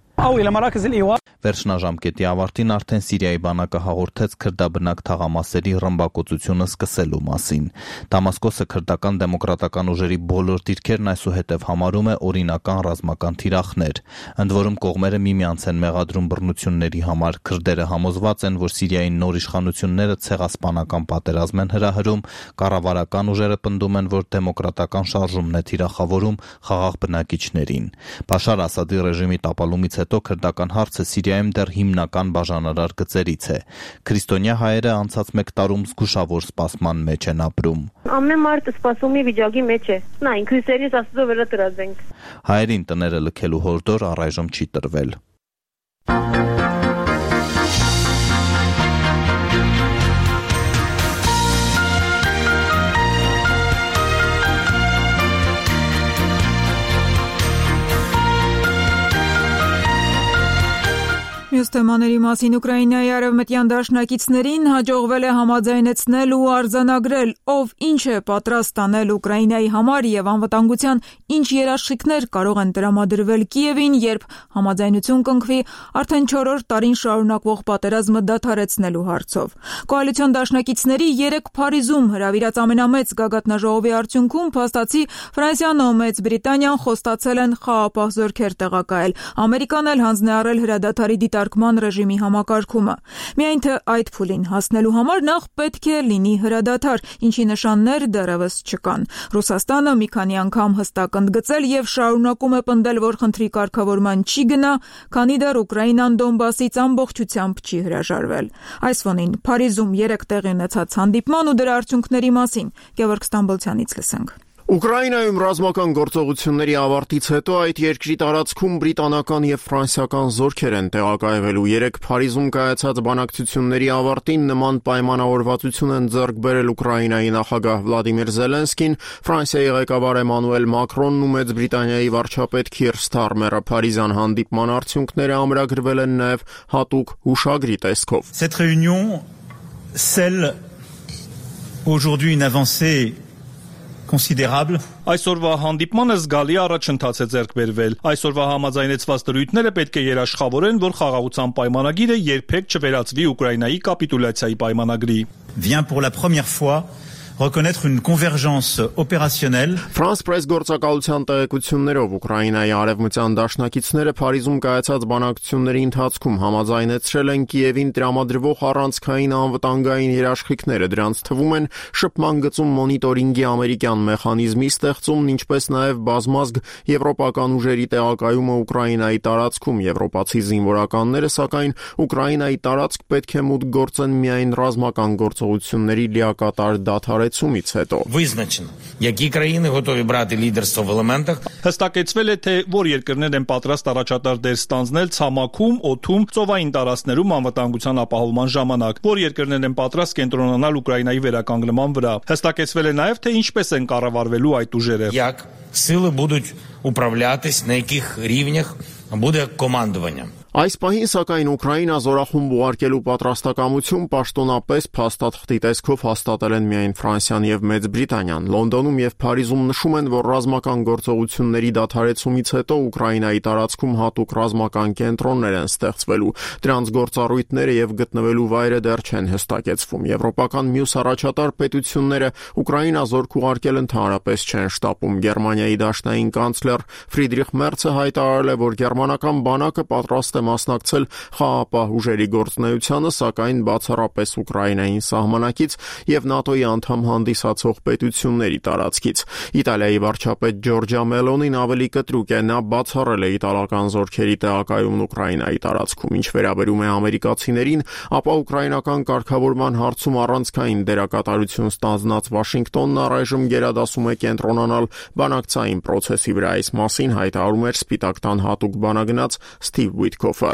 Վերջնաժամկետի ավարտին արդեն Սիրիայի բանակը հաղորդեց քրդաբնակ թաղամասերի ռմբակոծությունը սկսելու մասին։ Դամասկոսը քրդական դեմոկրատական ուժերի բոլոր դիրքերն այսուհետև համարում է օրինական ռազմական թիրախներ։ Ընդ որում կողմերը միմյանց են մեղադրում բռնությունների համար։ Քրդերը համոզված են, որ Սիրիայի նոր իշխանությունները ցեղասպանական պատերազմ են հրահրում, կառավարական ուժերը պնդում են, որ դեմոկրատական շարժումն է թիրախավորում խաղաղ բնակիչներին։ Բաշար Ասադի ռեժիմի տապալումից հետո քրդական հարցը Սիրիայում դեռ հիմնական բաժանարար գծերից է։ Քրիստոնյա հայերը անցած մեկ տարում զգուշավոր սպասման մեջ են ապրում։
Ամեն մարդ սպասումի վիճակի մեջ է։ Նա ինքնիսերից աստծո վրա տրազենք։
Հայերին տները լքելու հորդոր առայժմ չի տրվել։
Մյուս թեմաների մասին Ուկրաինայի արևմտյան դաշնակիցներին հաջողվել է համաձայնեցնել ու արձանագրել, ով ինչ է պատրաստ անել Ուկրաինայի համար եւ անվտանգության ինչ երաշխիքներ կարող են տրամադրվել Կիևին, երբ համաձայնություն կնքվի արդեն չորրորդ տարին շարունակվող պատերազմը դադարեցնելու հարցով։ Կոալիցիոն դաշնակիցների երեք Փարիզում հրավիրած ամենամեծ գագաթնաժողովի արդյունքում փաստացի Ֆրանսիան ու Մեծ Բրիտանիան խոստացել են խաղաղապահ զորքեր տեղակայել։ Ամերիկան էլ հանձն է առել հրադադարի դիտարկման ռեժիմի համակարգումը։ Միայն թե այդ փուլին հասնելու համար նախ պետք է լինի հրադադար, ինչի նշաններ դեռևս չկան։ Ռուսաստանը մի քանի անգամ հստակ ընդգծել եւ շարունակում է պնդել, որ խնդրի կարգավորման չի գնա, քանի դեռ Ուկրաինան Դոնբասից ամբողջությամբ չի հրաժարվել։ Այս ֆոնին Փարիզում երեք տեղի ունեցած հանդիպման ու դրա արդյունքների մասին Գևորգ Ստամբոլցյանից լսենք։
Ուկրաինայում ռազմական գործողությունների ավարտից հետո այդ երկրի տարածքում բրիտանական եւ ֆրանսիական զորքեր են տեղակայվելու։ Երեք Փարիզում կայացած բանակցությունների ավարտին նման պայմանավորվածություն են ձեռք բերել Ուկրաինայի նախագահ Վլադիմիր Զելենսկին, Ֆրանսիայի ղեկավար Էմանուել Մակրոնն ու Մեծ Բրիտանիայի վարչապետ Քիր Սթարմերը։ Փարիզյան հանդիպման արդյունքները ամրագրվել են նաեւ հատուկ հուշագրի տեսքով։
Cette réunion scelle aujourd'hui une avancée considérable.
Այսօրվա հանդիպմանը զգալի առաջընթաց է ձեռք բերվել։ Այսօրվա համաձայնեցված դրույթները պետք է երաշխավորեն, որ խաղաղության պայմանագիրը երբեք չվերածվի Ուկրաինայի կապիտուլյացիայի պայմանագրի։
Vient pour la première fois reconnaître une convergence opérationnelle.
France Press գործակալության տեղեկություններով Ուկրաինայի արևմտյան դաշնակիցները Փարիզում կայացած բանակցությունների ընթացքում համաձայնեցրել են Կիևին տրամադրվող առանցքային անվտանգային երաշխիքները։ Դրանց թվում են շփման գծում մոնիտորինգի ամերիկյան մեխանիզմի ստեղծումն, ինչպես նաև բազմազգ եվրոպական ուժերի տեղակայումը Ուկրաինայի տարածքում։ Եվրոպացի զինվորականները, սակայն Ուկրաինայի տարածք պետք է մուտք գործեն միայն ռազմական գործողությունների լիակատար դադարեցումից հետո։
Визначено, які країни готові брати лідерство в елементах.
Հստակեցվել է, թե որ երկրներ են պատրաստ առաջատար դեր ստանձնել ցամաքում, օդում, ծովային տարածքներում անվտանգության ապահովման ժամանակ, որ երկրներ են պատրաստ կենտրոնանալ Ուկրաինայի վերականգնման վրա։ Հստակեցվել է նաև, թե ինչպես են կառավարվելու այդ ուժերը։
Як сили будуть управлятись, на яких рівнях буде командування.
Այս պահին, սակայն, Ուկրաինա զորախումբ ուղարկելու պատրաստակամություն պաշտոնապես փաստաթղթի տեսքով հաստատել են միայն Ֆրանսիան եւ Մեծ Բրիտանիան։ Լոնդոնում եւ Փարիզում նշում են, որ ռազմական գործողությունների դադարեցումից հետո Ուկրաինայի տարածքում հատուկ ռազմական կենտրոններ են ստեղծվելու։ Դրանց գործառույթները եւ գտնվելու վայրը դեռ չեն հստակեցվում։ Եվրոպական մյուս առաջատար պետությունները Ուկրաինա զորք ուղարկել ընդհանրապես չեն շտապում։ Գերմանիայի դաշնային կանցլեր Ֆրիդրիխ Մերցը հայտարարել է, որ գերմանական բանակը պատրաստ է մասնակցել խաղաղապահ ուժերի գործունեությանը, սակայն բացառապես Ուկրաինային սահմանակից եւ ՆԱՏՕ-ի անդամ հանդիսացող պետությունների տարածքից։ Իտալիայի վարչապետ Ջորջա Մելոնին ավելի կտրուկ է, նա բացառել է իտալական զորքերի տեղակայումն Ուկրաինայի տարածքում, ինչ վերաբերում է ամերիկացիներին, ապա ուկրաինական կարգավորման հարցում առանցքային դերակատարություն ստանձնած Վաշինգտոնն առայժմ գերադասում է կենտրոնանալ բանակցային process-ի վրա, այս մասին հայտարարում էր Սպիտակ տան հատուկ բանագնաց Steve Witkoff-ը.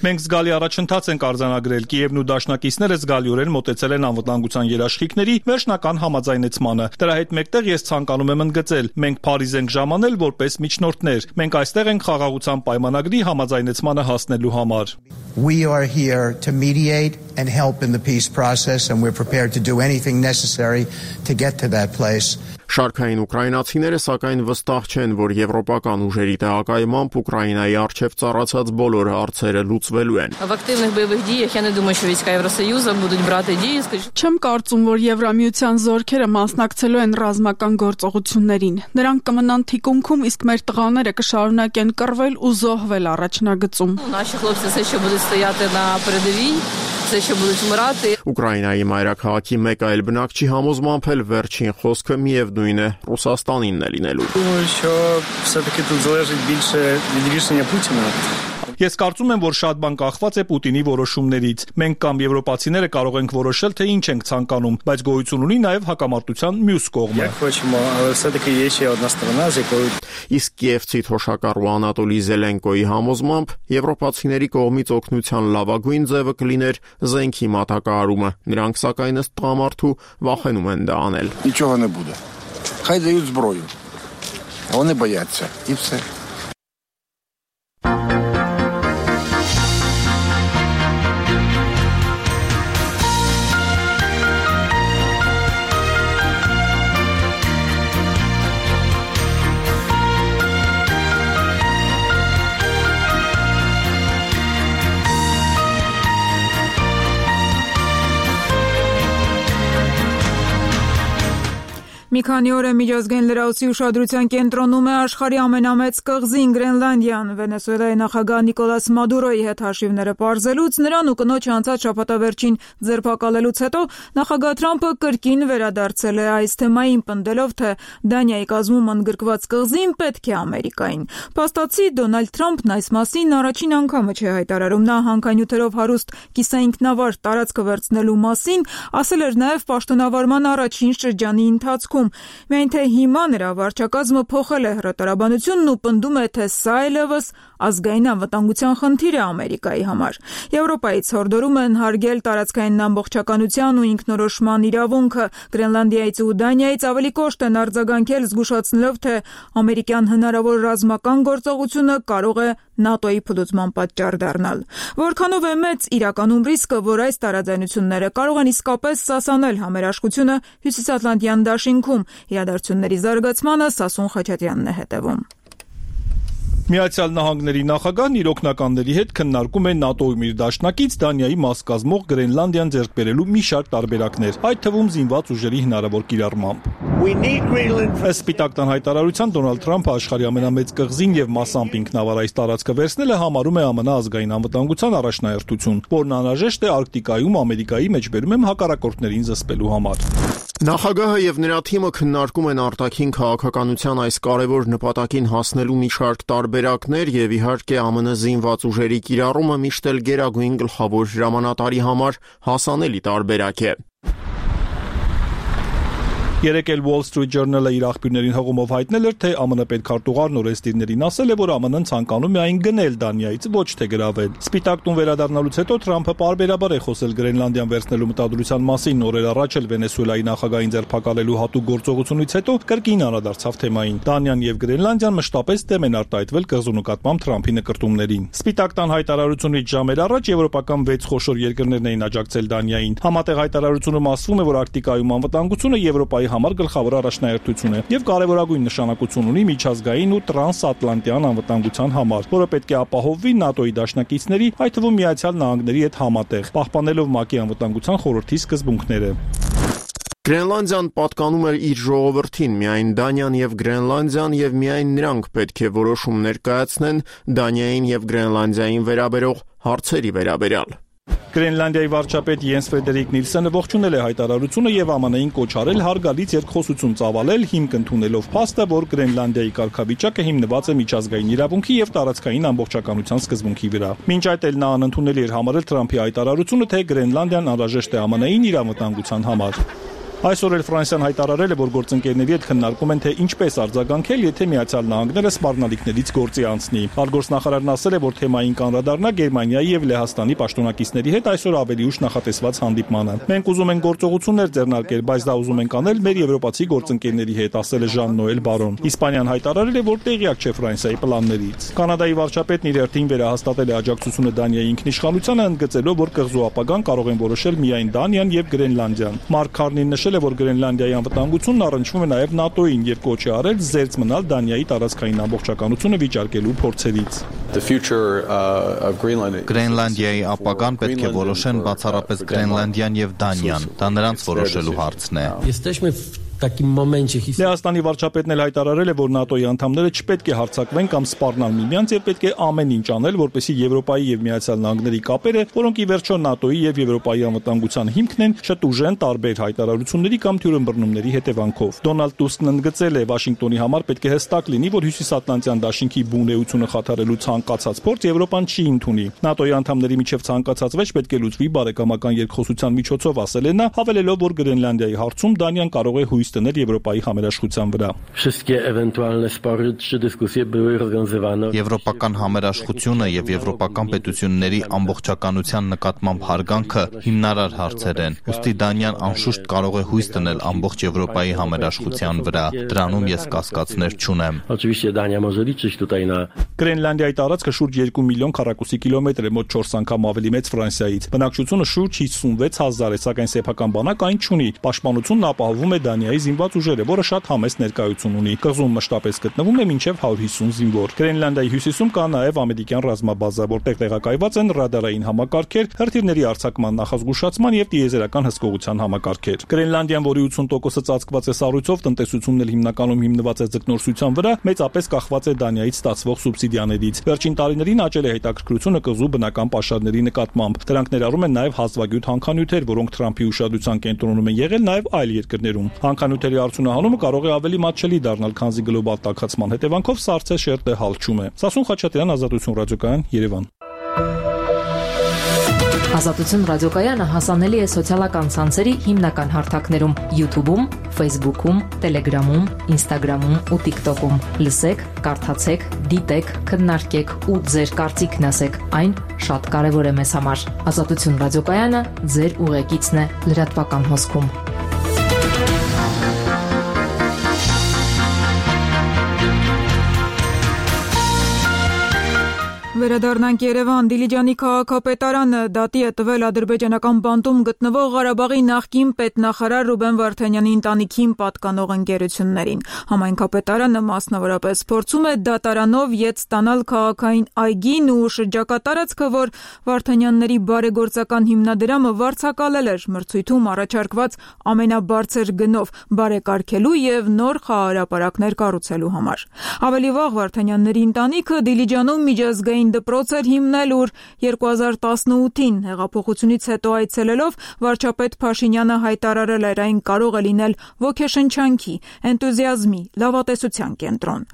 Մենք զգալի առաջընթաց ենք արձանագրել, Կիևն ու դաշնակիցները զգալիորեն մոտեցել են անվտանգության երաշխիքների վերջնական համաձայնեցմանը։ Դրա հետ մեկտեղ ես ցանկանում եմ ընդգծել, մենք Փարիզ ենք ժամանել որպես միջնորդներ։ Մենք այստեղ ենք խաղաղության պայմանագրի համաձայնեցմանը հասնելու համար։
We are here to mediate and help in the peace process, and we're prepared to do anything necessary to get to that place.
Շարքային ուկրաինացիները սակայն վստահ չեն, որ եվրոպական ուժերի տեղակայմամբ Ուկրաինայի առջև ծառացած բոլոր հարցերը լուծվելու են։
Չեմ կարծում, որ Եվրամիության զորքերը մասնակցելու են ռազմական գործողություններին։ Նրանք կմնան թիկունքում, իսկ մեր տղաները կշարունակեն կռվել ու զոհվել առաջնագծում։
Ուկրաինայի մայրաքաղաքի մեկ այլ բնակչի համոզմամբ էլ վերջին խոսքը միևնույն է Ռուսաստանինն է լինելու։
Ես կարծում եմ, որ շատ բան կախված է Պուտինի որոշումներից։ Մենք կամ եվրոպացիները կարող ենք որոշել, թե ինչ ենք ցանկանում, բայց գոյություն ունի նաև հակամարտության մյուս կողմը։
Իսկ կիևցի թոշակառու Անատոլի Զելենկոյի համոզմամբ եվրոպացիների կողմից օգնության լավագույն ձևը կլիներ զենքի մատակարարումը։ Նրանք սակայն ըստ տղամարդու վախենում են դա անել։
Нічого не буде. Хай дають зброю. Вони бояться. І все.
Մի քանի օր է միջազգային լրացուցի ուշադրության կենտրոնում է աշխարհի ամենամեծ կղզին Գրենլանդիան։ Վենեսուելայի նախագահ Նիկոլաս Մադուրոյի հետ հաշիվները պարզելուց, նրան ու կնոջ անցած շաբաթավերջին ձերբակալելուց հետո նախագահ Թրամփը կրկին վերադարձել է այս թեմային, պնդելով, թե Դանիայի կազմում ընդգրկված կղզին պետք է Ամերիկային։ Փաստացի Դոնալդ Թրամփն այս մասին առաջին անգամը չէ հայտարարում։ Նա հանքանյութերով հարուստ կիսաինքնավար տարածքը վերցնելու մասին ասել էր նաև պաշտոնավարման առաջին շրջանի ընթացքում։ Միայն թե հիմա նրա վարչակազմը փոխել է հրատարաբանությունն ու պնդում է, թե սա այլևս ազգային անվտանգության խնդիր է Ամերիկայի համար։ Եվրոպայից հորդորում են հարգել տարածքային ամբողջականության ու ինքնորոշման իրավունքը։ Գրենլանդիայից ու Դանիայից ավելի կոշտ են արձագանքել, զգուշացնելով, թե ամերիկյան հնարավոր ռազմական գործողությունը կարող է ՆԱՏՕ-ի փլուզման պատճառ դառնալ։ Որքանով է մեծ իրականում ռիսկը, որ այս տարաձայնությունները կարող են իսկապես սասանել համերաշխությունը Հյուսիսատլանտյան դաշինքում։ Իրադարձությունների զարգացմանը Սասուն Խաչատրյանն է հետևում։
Միացյալ Նահանգների նախագահն իր օգնականների հետ քննարկում է ՆԱՏՕ-ում իր դաշնակից Դանիայի մաս կազմող Գրենլանդիան ձեռք բերելու մի շարք տարբերակներ, այդ թվում զինված ուժերի հնարավոր կիրառմամբ։ Ըստ Սպիտակ տան հայտարարության Դոնալդ Թրամփը աշխարհի ամենամեծ կղզին եւ մասամբ ինքնավար այս տարածքը վերցնելը համարում է ԱՄՆ ազգային անվտանգության առաջնահերթություն, որն անհրաժեշտ է Արկտիկայում Ամերիկայի մեջբերում եմ հակառակորդներին զսպելու համար։
Նախագահը եւ նրա թիմը քննարկում են արտաքին քաղաքականության այս կարևոր նպատակին հասնելու մի շարք տարբերակներ եւ իհարկե ԱՄՆ զինված ուժերի կիրառումը միշտ էլ գերագույն գլխավոր հրամանատարի համար հասանելի տարբերակ է։
Երեկ էլ Wall Street Journal-ը իր աղբյուրներին հղումով հայտնել էր, թե ԱՄՆ պետքարտուղար Նորեստիրներին ասել է, որ ԱՄՆ-ն ցանկանում է այն գնել Դանիայից, ոչ թե գրավել։ Սպիտակ տուն վերադառնալուց հետո Թրամփը պարբերաբար է խոսել Գրենլանդիան վերցնելու մտադրության մասին։ Օրեր առաջ էլ Վենեսուելայի նախագահին ձերբակալելու հատուկ գործողությունից հետո կրկին անդրադարձավ թեմային։ Դանիան եւ Գրենլանդիան մշտապես դեմ են արտահայտվել կղզու նկատմամբ Թրամփի նկրտումներին։ Սպիտակ տան հայտարարությունից ժամեր առաջ եվրոպական վեց խոշոր երկրներն էին աջակցել Դանիային։ Համատեղ հայտարարությունում ասվում է, որ Արկտիկայում անվտանգությունը Եվրոպայի համար գլխավոր առաջնահերթություն է եւ կարեւորագույն նշանակություն ունի միջազգային ու տրանսատլանտյան անվտանգության համար, որը պետք է ապահովվի ՆԱՏՕ-ի դաշնակիցների, այդ թվում Միացյալ Նահանգների հետ համատեղ, պահպանելով ՄԱԿ-ի անվտանգության խորհրդի սկզբունքները։
Գրենլանդիան պատկանում էր իր ժողովրդին, միայն Դանիան եւ Գրենլանդիան եւ միայն նրանք պետք է որոշում ներկայացնեն Դանիային եւ Գրենլանդիային վերաբերող հարցերի վերաբերյալ։
Գրենլանդիայի վարչապետ Յենս Ֆրեդերիկ Նիլսենը ողջունել է հայտարարությունը եւ Է Մ Ն-ին կոչ արել հարգալից երկխոսություն ծավալել, հիմք ընդունելով փաստը, որ Գրենլանդիայի կարգավիճակը հիմնված է միջազգային իրավունքի եւ տարածքային ամբողջականության սկզբունքի վրա։ Մինչ այդ էլ նա անընդունելի էր համարել Թրամփի հայտարարությունը, թե Գրենլանդիան անհրաժեշտ է Է Մ Ն-ին իր անվտանգության համար։ Այսօր էլ Ֆրանսիան հայտարարել է, որ գործընկերների հետ քննարկում են, թե ինչպես արձագանքել, եթե Միացյալ Նահանգները սպառնալիքներից գործի անցնի։ Արտգործնախարարն ասել է, որ թեմային կանդրադառնա Գերմանիայի եւ Լեհաստանի պաշտոնակիցների հետ այսօր ավելի ուշ նախատեսված հանդիպմանը։ Մենք ուզում ենք գործողություններ ձեռնարկել, բայց դա ուզում ենք անել մեր եվրոպացի գործընկերների հետ, ասել է Ժան Նոել Բարոն։ Իսպանիան հայտարարել է, որ տեղյակ չէ Ֆրանսիայի պլաններից։ Կանադայի վարչապետն իր հերթին վերահաստատել է աջակցությունը Դանիայի ինքնիշխանությանը, ընդգծելով, որ կղզու ապագան կարող են որոշել միայն Դանիան եւ Գրենլանդիան։ Մարկ Քարնին նշել է, որ Գրենլանդիայի անվտանգությունն առնչվում է նաև ՆԱՏՕ-ին եւ կոչ է արել զերծ մնալ Դանիայի տարածքային ամբողջականությունը վիճարկելու փորձերից։
Գրենլանդիայի ապագան պետք է որոշեն բացառապես Գրենլանդիան եւ Դանիան։ Դա նրանց որոշելու հարցն է։
Լեհաստանի վարչապետն էլ հայտարարել է, որ ՆԱՏՕ-ի անդամները չպետք է հարձակվեն կամ սպառնալ միմյանց եւ պետք է ամեն ինչ անել, որպեսզի Եվրոպայի եւ Միացյալ Նահանգների կապերը, որոնք ի վերջո ՆԱՏՕ-ի եւ Եվրոպայի անվտանգության հիմքն են, չտուժեն տարբեր հայտարարությունների կամ թյուրըմբռնումների հետևանքով։ Դոնալդ Տուսկն ընդգծել է, Վաշինգտոնի համար պետք է հստակ լինի, որ Հյուսիսատլանտյան դաշինքի բունեությունը խաթարելու ցանկացած փորձ Եվրոպան չի ընդունի։ ՆԱՏՕ-ի անդամների միջև ցանկացած վեճ պետք է լուծվի բարեկամական երկխոսության միջոցով, ասել է նա, հավելելով, որ Գրենլանդիայի հարցում Դանիան կարող է հույս տնել Եվրոպայի համերաշխության վրա։
Եվրոպական համերաշխությունը եւ եվրոպական պետությունների ամբողջականության նկատմամբ հարգանքը հիմնարար հարցեր են։ Ուստի Դանիան անշուշտ կարող է հույս տնել ամբողջ Եվրոպայի համերաշխության վրա։ Դրանում ես կասկածներ չունեմ։
Գրենլանդիայի տարածքը շուրջ երկու միլիոն քառակուսի կիլոմետր է, մոտ չորս անգամ ավելի մեծ Ֆրանսիայից։ Բնակչությունը շուրջ հիսունվեց հազար է, սակայն սեփական բանակ այն չունի։ Պաշտպանությունն ապահովում է Դանիայի զինված ուժերը, որը շատ համեստ ներկայություն ունի։ Կղզում մշտապես գտնվում է մինչև հարյուր հիսուն զինվոր։ Գրենլանդիայի հյուսիսում կա նաև ամերիկյան ռազմաբազա, որտեղ տեղակայված են ռադարային համակարգեր, հրթիռների արձակման նախազգուշացման եւ տիեզերական հսկողության համակարգեր։ Գրենլանդիան, որի ութուն տոկոսը ծածկված է սառույցով, տնտեսությունն էլ հիմնականում հիմնված է ձկնորսության վրա, մեծապես կախված է Դանիայից ստացվող սուբսիդիաներից։ Վերջին տարիներին աճել է հետաքրքրությունը կղզու բնական պաշարների նկատմամբ։ Դրանք ներառում են նաև հազվագյուտ հանքանյութեր, որոնք Թրամփի ուշադրության կենտրոնում են եղել նաև այլ երկրներում։ Հանքանյութերի արդյունահանումը կարող է ավելի մատչելի դառնալ, քանզի գլոբալ տաքացման հետևանքով սառցե շերտը հալչում է։ Սասուն Խաչատրյան, Ազատություն ռադիոկայան, Երևան։
Ազատություն ռադիոկայանը հասանելի է սոցիալական ցանցերի հիմնական հարթակներում՝ YouTube-ում, Facebook-ում, Telegram-ում, Instagram-ում ու TikTok-ում։ Լսեք, կարդացեք, դիտեք, քննարկեք ու ձեր կարծիքն ասեք։ Այն շատ կարևոր է մեզ համար։ Ազատություն ռադիոկայանը ձեր ուղեկիցն է լրատվական հոսքում։
Վերադառնանք Երևան։ Դիլիջանի քաղաքապետարանը դատի է տվել ադրբեջանական բանտում գտնվող Ղարաբաղի նախկին պետնախարար Ռուբեն Վարդանյանի ընտանիքին պատկանող ընկերություններին։ Համայնքապետարանը մասնավորապես փորձում է դատարանով ետ ստանալ քաղաքային այգին ու շրջակա տարածքը, որ Վարդանյանների բարեգործական հիմնադրամը վարձակալել էր մրցույթում առաջարկված ամենաբարձր գնով բարեկարգելու եւ նոր խաղահրապարակներ կառուցելու համար։ Ավելի վաղ Վարդանյանների ընտանիքը Դիլիջանում միջազգային դպրոց էր հիմնել, ուր երկու հազար տասնութին հեղափոխությունից հետո այցելելով վարչապետ Փաշինյանը հայտարարել էր այն կարող է լինել ոգեշնչանքի, էնտուզիազմի, լավատեսության կենտրոն։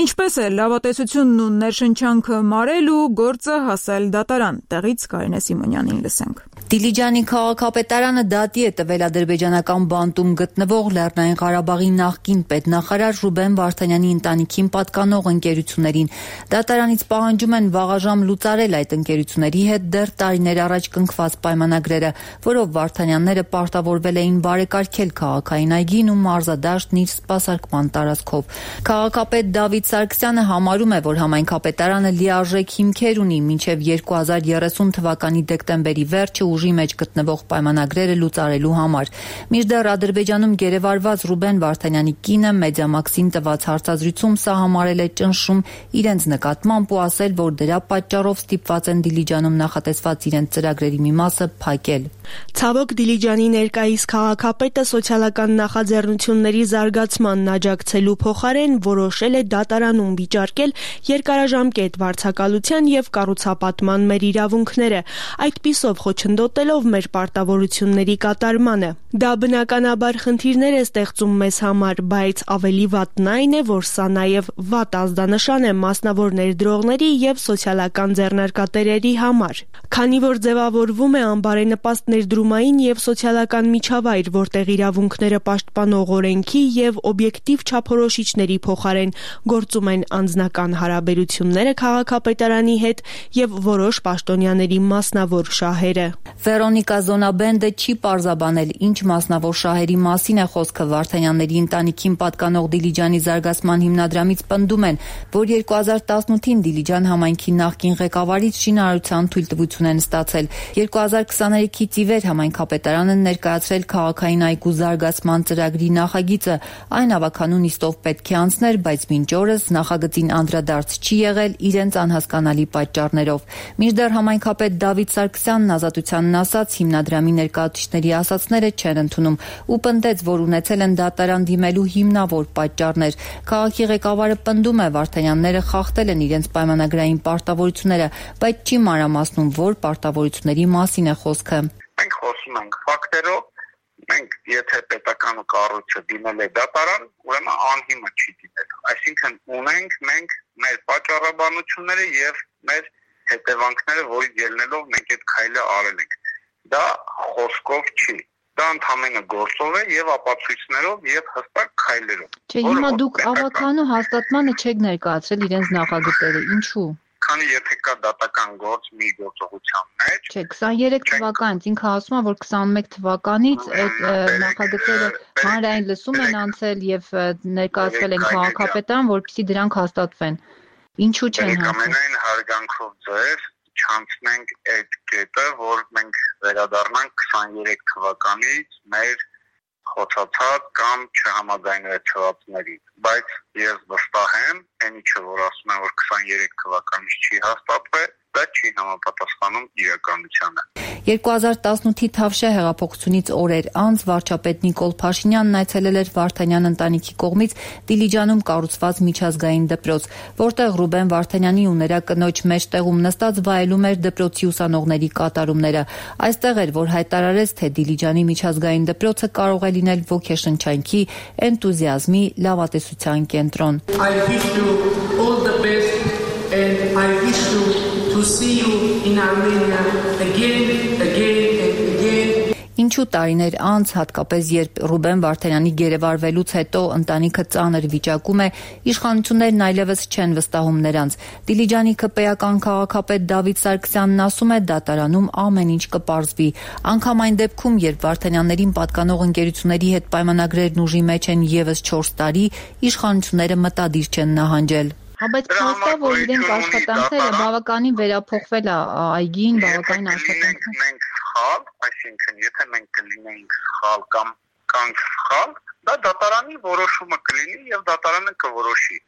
Ինչպես է լավատեսությունն ու ներշնչանքը մարել ու գործը հասել դատարան։ Տեղից Կարինե Սիմոնյանին լսենք։
Դիլիջանի քաղաքապետարանը դատի է տվել ադրբեջանական բանտում գտնվող Լեռնային Ղարաբաղի նախկին պետնախարար Ռուբեն Վարդանյանի ընտանիքին պատկանող ընկերություններին։ Դատարանից պահանջում են վաղաժամ լուծարել այդ ընկերությունների հետ դեռ տարիներ առաջ կնքված պայմանագրերը, որով Վարդանյանները պարտավորվել էին բարեկարգել քաղաքային այգին ու մարզադաշտն իր սպասարկման տարածքով։ Քաղաքապետ Դավիթ Սարգսյանը համարում է, որ համայնքապետարանը լիարժեք հիմքեր ունի մինչև երկու հազար երեսուն թվականի դեկտեմբերի վերջը ուժի մեջ գտնվող պայմանագրերը լուծարելու համար։ Մինչդեռ Ադրբեջանում գերեվարված Ռուբեն Վարդանյանի կինը Մեդիամաքսին տված հարցազրույցում սա համարել է ճնշում իրենց նկատմամբ ու ասել, որ դրա պատճառով ստիպված են Դիլիջանում նախատեսված իրենց ծրագրերի մի մասը փակել։
Ցավոք Դիլիջանի ներկայիս քաղաքապետը սոցիալական նախաձեռնությունների զարգացմանն աջակցելու փոխարեն որոշել է դատարանում վիճարկել երկարաժամկետ վարձակալության եւ կառուցապատման մեր իրավունքները, այդպիսով խոչընդոտելով մեր պարտավորությունների կատարմանը։ Դա բնականաբար խնդիրներ է ստեղծում մեզ համար, բայց ավելի վատն այն է, որ սա նաեւ վատ ազդանշան է մասնավոր ներդրողների եւ սոցիալական ձեռնարկատերերի համար, քանի որ ձևավորվում է անբարենպաստ ներդրումային եւ սոցիալական միջավայր, որտեղ իրավունքները պաշտպանող օրենքի եւ օբյեկտիվ չափորոշիչների փոխարեն գործում են անձնական հարաբերությունները քաղաքապետարանի հետ եւ որոշ պաշտոնյաների մասնավոր շահերը։
Վերոնիկա Զոնաբենդը չի պարզաբանել, ինչ մասնավոր շահերի մասին է խոսքը։ Վարդանյանների ընտանիքին պատկանող Դիլիջանի զարգացման հիմնադրամից պնդում են, որ երկու հազար տասնութին Դիլիջան համայնքի նախկին ղեկավարից շինարարության թույլտվություն են ստացել։ երկու հազար քսաներեքից ի վեր համայնքապետարանը ներկայացրել քաղաքային այգու զարգացման ծրագրի նախագիծը։ Այն ավականուն իստով պետք է անցներ, բայց մինչ օրս նախագծին անդրադարձ չի եղել իրենց անհասկանալի պատճառներով։ Մինչդեռ համայնքապետ Դավիթ Սարգսյանն ազատությանն ասաց, հիմնադրամի ներկայացուցիչների ասացները չեն ընդունում ու պնդեց, որ ունեցել են դատարան դիմելու հիմնավոր պատճառներ։ Քաղաքի ղեկավարը պնդում է, Վարդանյանները խախտել են իրենց պայմանագրային պարտավորությունները, բայց չի մանրամասնում, որ պարտավորությունների մասին է խոսքը։
Մենք խոսում ենք ֆակտերով, մենք եթե պետական կառույցը դիմել է դատարան, ուրեմն անհիմը չի դիմել։ Այսինքն ունենք մենք մեր պատճառաբանությունները եւ մեր հետևանքները, որից ելնելով մենք այդ քայլը արել ենք։ Դա խոսքով չի։ Դա ընդհանրապես գործով է եւ ապացույցներով եւ հստակ քայլերով։
Չէ, հիմա դուք ավականու հաստատմանը չեք ներկայացրել իրենց նախագծերը, ինչու՞։
Քանի եթե կա դատական գործ մի գործողության մեջ։
Չէ, քսաներեք թվականից ինքը ասում է, որ քսանմեկ թվականից այդ նախագծերը հանրային լսում են անցել եւ ներկայացվել են քաղաքապետարան, որպեսզի դրանք հաստատվեն։ Ինչու չեն հաստատվել։
Ամենայն հարգանքով ձեզ չանցնենք այդ կետը, որ մենք վերադառնանք քսաներեք թվականից մեր խոցացած կամ չհամաձայնեցվածների, բայց ես վստահ եմ, այն ինչը որ ասում են, որ քսաներեք թվականից չի հաստատվել, դա չի համապատասխանում իրականությանը։
երկու հազար տասնութի Թավշյա հեղափոխությունից օրեր անց վարչապետ Նիկոլ Փաշինյանն այցելել էր Վարդանյան ընտանիքի կողմից Դիլիջանում կառուցված միջազգային դպրոց, որտեղ Ռուբեն Վարդանյանի ու նրա կնոջ մեջտեղում նստած վայելում էր դպրոցի ուսանողների կատարումները։ Այստեղ էր, որ հայտարարեց, թե Դիլիջանի միջազգային դպրոցը կարող է լինել ոգեշնչանքի, էնտուզիազմի, լավատեսության կենտրոն։
I wish you all the best and I wish you to see you in Armenia again, again and again.
Ինչու տարիներ անց, հատկապես երբ Ռուբեն Վարդանյանի գերեվարվելուց հետո ընտանիքը ծանր վիճակում է, իշխանություններն այլևս չեն վստահում նրանց։ Դիլիջանի ԿՊ-ական քաղաքապետ Դավիթ Սարգսյանն ասում է, դատարանում ամեն ինչ կպարզվի։ Անկամ այն դեպքում, երբ Վարդանյաններին պատկանող ընկերությունների հետ պայմանագրերն ուժի մեջ են եւս չորս տարի, իշխանությունները մտադիր չեն նահանջել։ Հա, բայց փաստա, որ իրենք աշխատանքները բավականին վերափոխվել է այգին, բավականին աշխատանքներ։
Մենք սխալ, այսինքն եթե մենք կլինեինք սխալ կամ կանք սխալ, դա դատարանի որոշումը կլինի եւ դատարանը կորոշի։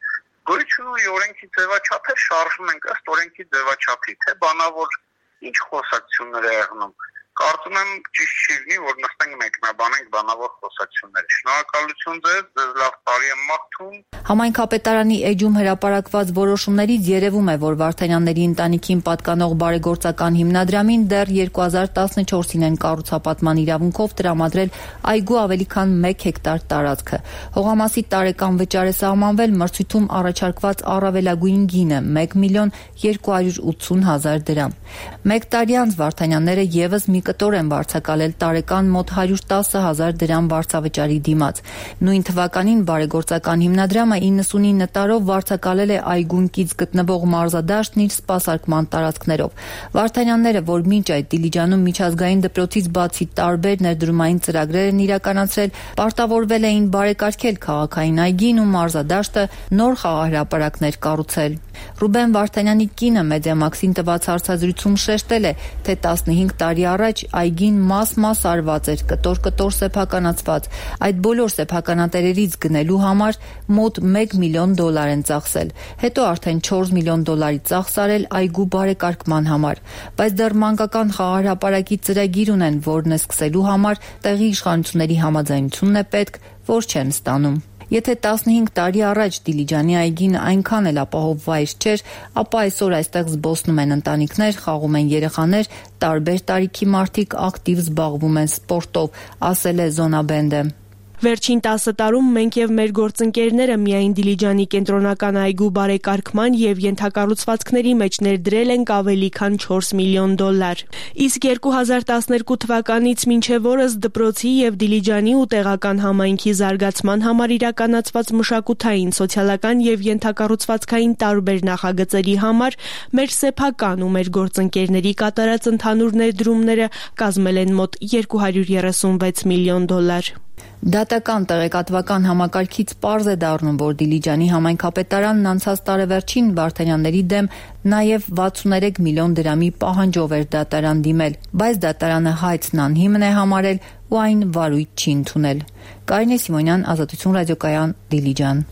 Գույցի օրենքի ձևաչափը շարժում ենք ըստ օրենքի ձևաչափի, թե բանավոր ինչ խոսակցություններ է եղնում։ Կարծում եմ ճիշտ չի լինի, որ նստենք մեկնաբանենք բանավոր խոսակցություններ։ Շնորհակալություն ձեզ, ձեզ լավ տարի եմ մաղթում։
Համայնքապետարանի էջում հրապարակված որոշումներից երևում է, որ Վարդանյանների ընտանիքին պատկանող բարեգործական հիմնադրամին դեռ երկու հազար տասնչորսին են կառուցապատման իրավունքով տրամադրել այգու ավելի քան մեկ հեկտար տարածքը։ Հողամասի տարեկան վճար է սահմանվել մրցույթում առաջարկված առավելագույն գինը՝ մեկ միլիոն երկու հարյուր ութսուն հազար դրամ։ Մեկ տարի անց Վարդանյանները եւս մի կտոր են վարձակալել տարեկան մոտ հարյուր տասը հազար դրամ վարձավճարի դիմաց։ Նույն թվականին բարեգործական հիմնադրամը իննսունինը տարով վարձակալել է այգուն կից գտնվող մարզադաշտն իր սպասարկման տարածքներով։ Վարդանյանները, որ մինչ այդ Դիլիջանում միջազգային դպրոցից բացի տարբեր ներդրումային ծրագրեր են իրականացրել, պարտավորվել էին բարեկարգել քաղաքային այգին ու մարզադաշտը, նոր խաղահրապարակներ կառուցել։ Ռուբեն Վարդանյանի կինը Մեդիամաքսին տված հարցազրույցում շեշտել է, թե տասնհինգ տարի առաջ այգին մաս-մաս արված էր, կտոր-կտոր սեփականացված։ Այդ բոլոր սեփականատերերից գնելու համար մոտ մեկ միլիոն դոլար են ծախսել։ Հետո արդեն չորս միլիոն դոլարի ծախս արել այգու բարեկարգման համար, բայց դեռ մանկական խաղահրապարակի ծրագիր ունեն, որն է սկսելու համար տեղի իշխանությունների համաձայնությունն է պետք, որ չեն ստանում։ Եթե տասնհինգ տարի առաջ Դիլիջանի այգին այնքան էլ ապահով վայր չէր, ապա այսօր այստեղ զբոսնում են ընտանիքներ, խաղում են երեխաներ, տարբեր տարիքի մարդիկ ակտիվ զբաղվում են սպորտով, ասել է Զոնաբենդը։
Վերջին տասը տարում մենք եւ մեր գործընկերները միայն Դիլիջանի կենտրոնական այգու բարեկարգման եւ ենթակառուցվածքների մեջ ներդրել ենք ավելի քան չորս միլիոն դոլար։ Իսկ երկու հազար տասներկու թվականից մինչև օրս դպրոցի եւ Դիլիջանի ու տեղական համայնքի զարգացման համար իրականացված մշակութային, սոցիալական եւ ենթակառուցվածքային տարբեր նախագծերի համար մեր սեփական ու մեր գործընկերների կատարած ընդհանուր ներդրումները կազմել են մոտ երկու հարյուր երեսունվեց միլիոն դոլար։
Դատական տեղեկատվական համակարգից պարզ է դառնում, որ Դիլիջանի համայնքապետարանն անցած տարեվերջին Վարդանյանների դեմ նաև վաթսուններեք միլիոն դրամի պահանջով էր դատարան դիմել, բայց դատարանը հայցն անհիմն է համարել ու այն վարույթ չի ընդունել։ Կարինե Սիմոնյան, Ազատություն ռադիոկայան, Դիլիջան։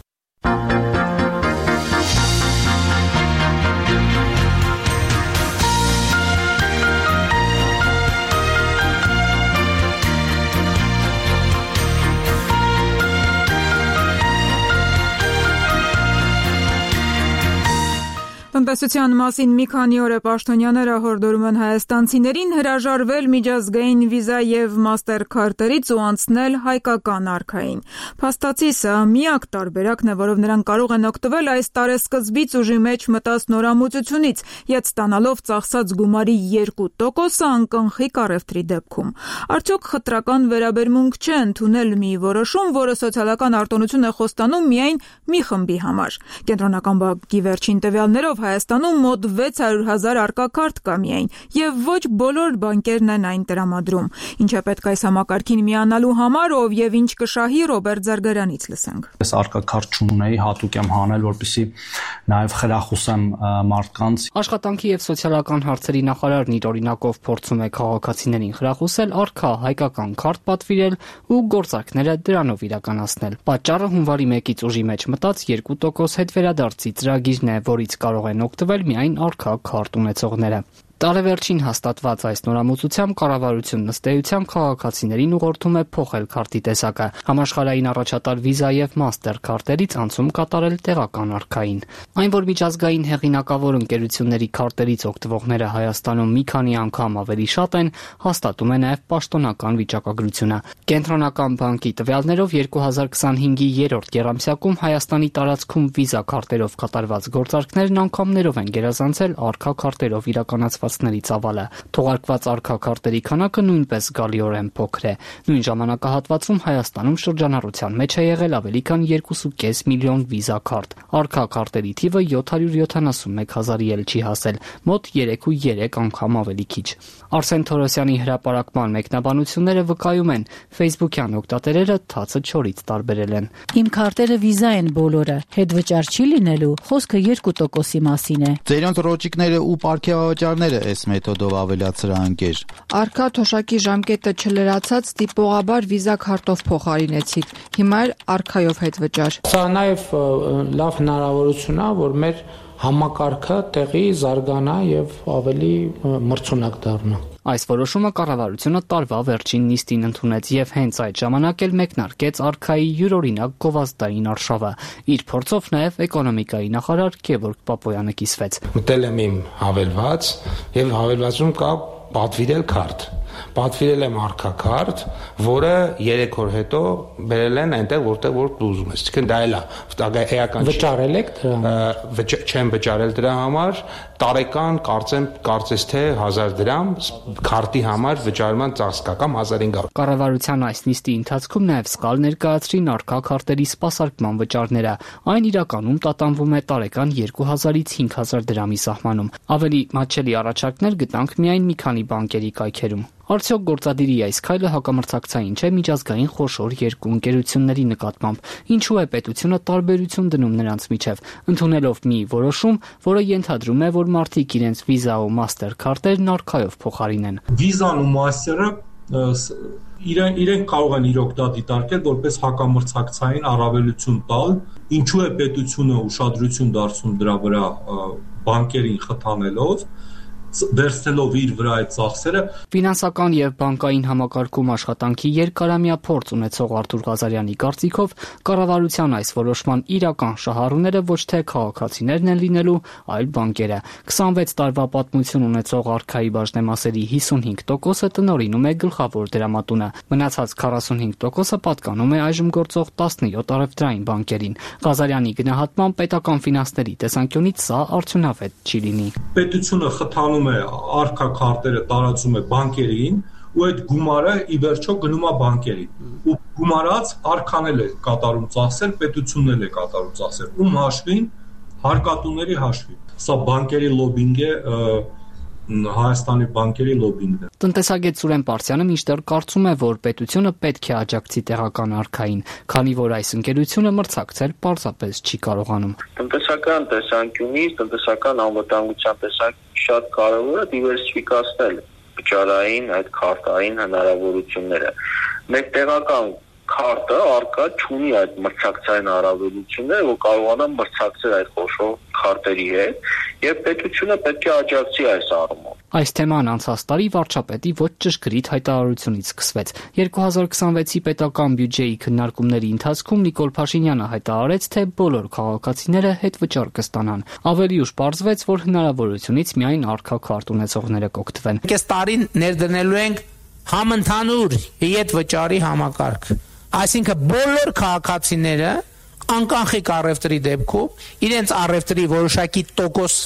Տնտեսության մասին մի քանի օր է պաշտոնյաները հորդորում են հայաստանցիներին հրաժարվել միջազգային վիզա եւ մաստեր քարտերից ու անցնել հայկական արքային։ Փաստացի սա միակ տարբերակն է, որով նրանք կարող են օգտվել այս տարեսկզբից ուժի մեջ մտած նորամուծությունից, յետ ստանալով ծախսած գումարի երկու տոկոսը անկնխի կառևտրի դեպքում։ Արդյոք խտրական վերաբերմունք չէ ընդունել մի որոշում, որը սոցիալական արտոնություն է խոստանում միայն մի խմբի համար։ Կենտրոնական բանկի վերջին տվյալներով Հայաստանում մոտ վեց հարյուր հազար արկակարտ կա միայն, եւ ոչ բոլոր բանկերն են այն տրամադրում։ Ինչ է պետք այս համակարգին միանալու համար, ով եւ ինչ կշահի, Ռոբերտ Զարգարանից լսենք։
Ես արկակարտ չունեի, հատուկ եմ հանել, որպեսզի նաեւ խրախուսեմ մարդկանց։
Աշխատանքի եւ սոցիալական հարցերի նախարարն իր օրինակով փորձում է քաղաքացիներին խրախուսել արքա հայկական քարտ պատվիրել ու գործարքները դրանով իրականացնել։ Պատճառը հունվարի մեկից ուժի մեջ մտած երկու տոկոս հետ վերադարձի ծրագիրն է, որից կարող են օգտվել միայն արքա քարտ ունեցողները։ Տարեվերջին հաստատված այս նորամուծությամբ կառավարությունն ըստ էության քաղաքացիներին ուղղորդում է փոխել քարտի տեսակը, համաշխարհային առաջատար վիզա եւ մաստեր քարտերից անցում կատարել տեղական արքային։ Այն, որ միջազգային հեղինակավոր ընկերությունների քարտերից օգտվողները Հայաստանում մի քանի անգամ ավելի շատ են, հաստատում է նաեւ պաշտոնական վիճակագրությունը։ Կենտրոնական բանկի տվյալներով երկու հազար քսանհինգի երրորդ եռամսյակում Հայաստանի տարածքում վիզա քարտերով կատարված գործարքներն անգամներով են գերազանցել արքա քարտերով իրականացված ծավալը։ Թողարկված արքա քարտերի քանակը նույնպես զգալիորեն փոքր է։ Նույն ժամանակահատվածում Հայաստանում շրջանառության մեջ է եղել ավելի քան երկու կես միլիոն վիզա քարտ։ Արքա քարտերի թիվը յոթ հարյուր յոթանասունմեկ հազարի էլ չի հասել, մոտ երեք ու երեք անգամ ավելի քիչ։ Արսեն Թորոսյանի հրապարակման մեկնաբանությունները վկայում են, Facebook-յան օգտատերերը թացը չորից տարբերել են։
Իմ քարտերը վիզա են բոլորը, հետ վճար չի լինելու, խոսքը երկու տոկոսի մասին է։
Ձերոնց ռոճիկները ու պարգևավճարները այս մեթոդով ավելացրահանքեր։
Արքա թոշակի ժամկետը չլրացած տիպողաբար վիզա քարտով փոխարինեցիք։ Հիմա էլ արքայով հետ վճար։
Սա նաև լավ հնարավորություն է, որ մեր համակարգը տեղի զարգանա եւ ավելի մրցունակ դառնա։
Այս որոշումը կառավարությունը տարվա վերջին նիստին ընդունեց եւ հենց այդ ժամանակ էլ մեկնարկեց արքայի յուրօրինակ գովազդային արշավը։ Իր փորձով նաեւ էկոնոմիկայի նախարար Գևորգ Պապոյանը կիսվեց։
Մտել եմ իմ հավելված եւ հավելվածում կա պատվիրել քարտ։ Պատվիրել եմ արքա քարտ, որը երեք օր հետո բերել են այնտեղ, որտեղ որ ուզում ես։ Այսինքն դա էլ է էական։ Վճարել եք դրա։ Չեմ վճարել դրա համար, տարեկան կարծեմ կարծես թե հազար դրամ քարտի համար վճարման ծախս կա կամ հազար հինգ հարյուր։
Կառավարության այս նիստի ընթացքում նաև սկալ ներկայացրին արքա քարտերի սպասարկման վճարները։ Այն իրականում տատանվում է տարեկան երկու հազարից հինգ հազար դրամի սահմանում։ Ավելի մատչելի առաջարկներ գտանք միայն մի քանի Հայաստանի բանկերի կայքերում։ Արդյոք գործադիրի այս քայլը հակամրցակցային չէ միջազգային խոշոր երկու ընկերությունների նկատմամբ։ Ինչու է պետությունը տարբերություն դնում նրանց միջև, ընդունելով մի որոշում, որը ենթադրում է, որ մարդիկ իրենց Visa ու Master քարտերն արքայով փոխարինեն։
Visa-ն ու Master-ը իրեն իրենք կարող են իրոք դա դիտարկել որպես հակամրցակցային առավելություն տալ, ինչու է պետությունը ուշադրություն դարձնում դրա վրա բանկերին խթանելով, վերցնելով իր վրա այդ ծախսերը։
Ֆինանսական եւ բանկային համակարգում աշխատանքի երկարամյա փորձ ունեցող Արթուր Ղազարյանի կարծիքով կառավարության այս որոշման իրական շահառուները ոչ թե քաղաքացիներն են լինելու, այլ բանկերը։ քսանվեց տարվա պատմություն ունեցող արքայի բաժնեմասերի հիսունհինգ տոկոսը տնօրինում է գլխավոր դրամատունը։ Մնացած քառասունհինգ տոկոսը պատկանում է այժմ գործող տասնյոթ առևտրային բանկերին։ Ղազարյանի գնահատմամբ պետական ֆինանսների տեսանկյունից սա արդյունավետ չի լինի։
Պետությունը խթանում է արքա քարտերը տարածում է բանկերին ու այդ գումարը ի վերջո գնում է բանկերին ու գումարած արքան էլ է կատարում ծախսեր, պետությունն էլ է կատարում ծախսեր, ում հաշվին հարկատուների հաշվին։ Սա բանկերի լոբինգ է, Հայաստանի բանկերի լոբինգն է։
Տնտեսագետ Սուրեն Պարսյանը մինչդեռ կարծում է, որ պետությունը պետք է աջակցի տեղական արքային, քանի որ այս ընկերությունը մրցակցել պարզապես չի կարողանում։
Տնտեսական տեսանկյունից, տնտեսական անվտանգության տեսանկյունից շատ կարևոր է դիվերսիֆիկացնել վճարային այդ քարտային հնարավորությունները։ Մեր տեղական քարտը արկա չունի այդ մրցակցային առավելությունները, որ կարողանա մրցակցել այդ խոշոր քարտերի հետ, եւ պետությունը պետք է աջակցի այս առումով։
Այս թեման անցած տարի վարչապետի ոչ ճշգրիտ հայտարարությունից սկսվեց։ երկու հազար քսանվեցի պետական բյուջեի քննարկումների ընթացքում Նիկոլ Փաշինյանը հայտարարեց, թե բոլոր քաղաքացիները հետվճար կստանան։ Ավելի ուշ պարզվեց, որ հնարավորությունից միայն արքա քարտ ունեցողները կօգտվեն։
Այս տարին ներդնելու ենք համընդհանուր հետվճարի համակարգ։ Այսինքն բոլոր քաղաքացիները անկախիկ առևտրի դեպքում իրենց առևտրի որոշակի տոկոս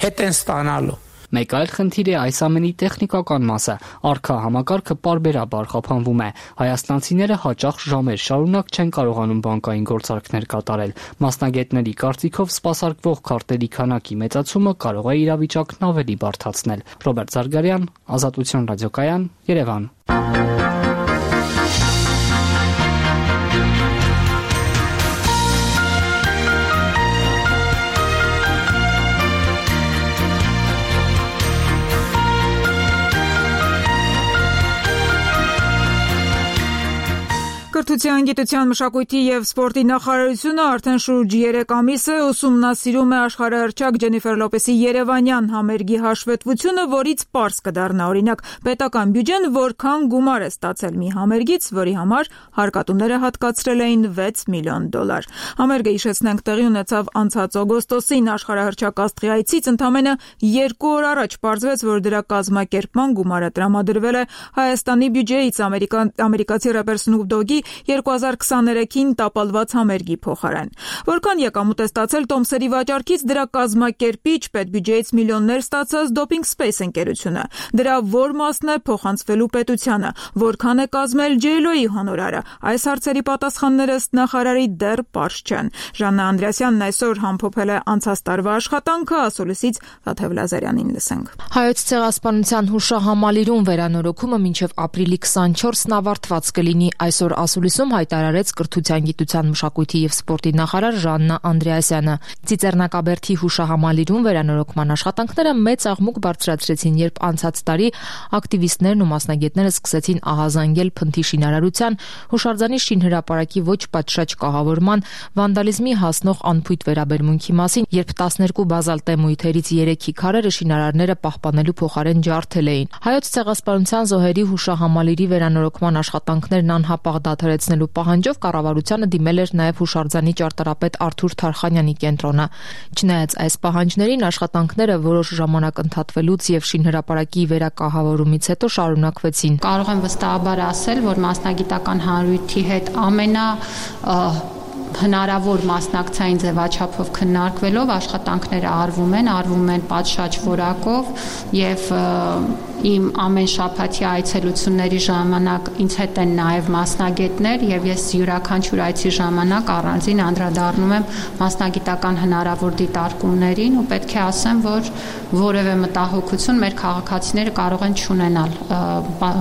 հետ են ստանալու։
Մեկ այլ խնդիր է այս ամենի տեխնիկական մասը։ Արքա համակարգը պարբերաբար խափանվում է։ Հայաստանցիները հաճախ ժամեր շարունակ չեն կարողանում բանկային գործարքներ կատարել։ Մասնագետների կարծիքով սպասարկվող քարտերի քանակի մեծացումը կարող է իրավիճակն ավելի բարդացնել։ Ռոբերտ Զարգարյան, Ազատություն ռադիոկայան, Երևան։
Կրթության, գիտության, մշակույթի եւ սպորտի նախարարությունը արդեն շուրջ երեք ամիս է ուսումնասիրում է աշխարհահռչակ Ջենիֆեր Լոպեսի երևանյան համերգի հաշվետվությունը, որից պարզ կդառնա օրինակ պետական բյուջեն որքան գումար է ստացել մի համերգից, որի համար հարկատուները հատկացրել էին վեց միլիոն դոլար։ Համերգը, հիշեցնենք, տեղի ունեցավ անցած օգոստոսին աշխարհահռչակ աստղի այցից ընդամենը երկու օր առաջ պարզվեց, որ դրա կազմակերպման գումարը տրամադրվել է Հայաստանի բյուջեից ամերիկացի ռեպեր Սնուփ Դոգի երկու հազար քսաներեքին տապալված համերգի փոխարեն։ Որքան եկամուտ է ստացել Տոմսերի վաճառքից դրա կազմակերպիչ պետբյուջեից միլիոններ ստացած Doping Space ընկերությունը։ Դրա որ մասն է փոխանցվելու պետությանը, որքան է կազմել Ջեյ Էլ Օ-ի հոնորարը։ Այս հարցերի պատասխանները ըստ նախարարի դեռ պարզ չեն։ Ժաննա Անդրեասյանն այսօր համփոփել է անցած տարվա աշխատանքը, ասուլիսից Թաթև Լազարյանին լսենք։
Հայոց ցեղասպանության հուշահամալիրում վերանորոգումը մինչև ապրիլի քսանչորսն ավարտված կլինի։ Այսօր ասուլիսում հայտարարեց Կրթության, գիտության, մշակույթի եւ սպորտի նախարար Ժաննա Անդրեասյանը։ Ծիծեռնակաբերդի հուշահամալիրում վերանորոգման աշխատանքները մեծ աղմուկ բարձրացրեցին, երբ անցած տարի ակտիվիստներն ու մասնագետները սկսեցին ահազանգել Փնթի շինարարության, հուշարձանի շինհրապարակի ոչ պատշաճ կահավորման, վանդալիզմի հասնող անփույթ վերաբերմունքի մասին, երբ տասներկու բազալտե մույթերից երեքի քարերը շինարարները պահպանելու փոխարեն ջարդել էին։ Հայոց ցեղասպանության զոհերի հուշահամալիրի վերանորոգման աշխատանքներն անհապաղ դադարեցնելու պահանջով կառավարությանը դիմել էր նաև հուշարձանի ճարտարապետ Արթուր Թարխանյանի կենտրոնը։ Չնայած այս պահանջներին, աշխատանքները որոշ ժամանակ ընդհատվելուց եւ շինհրապարակի վերակահավորումից հետո շարունակվեցին։
Կարող եմ վստահաբար ասել, որ մասնագիտական հանրույթի հետ ամենա հնարավոր մասնակցային ձևաչափով քննարկվելով աշխատանքները արվում են, արվում են պատշաճ որակով եւ իմ ամեն շաբաթյա այցելությունների ժամանակ ինձ հետ են նաև մասնագետներ եւ ես յուրաքանչյուր այցի ժամանակ առանձին անդրադառնում եմ մասնագիտական հնարավոր դիտարկումներին ու պետք է ասեմ, որ որևէ մտահոգություն մեր քաղաքացիները կարող են չունենալ։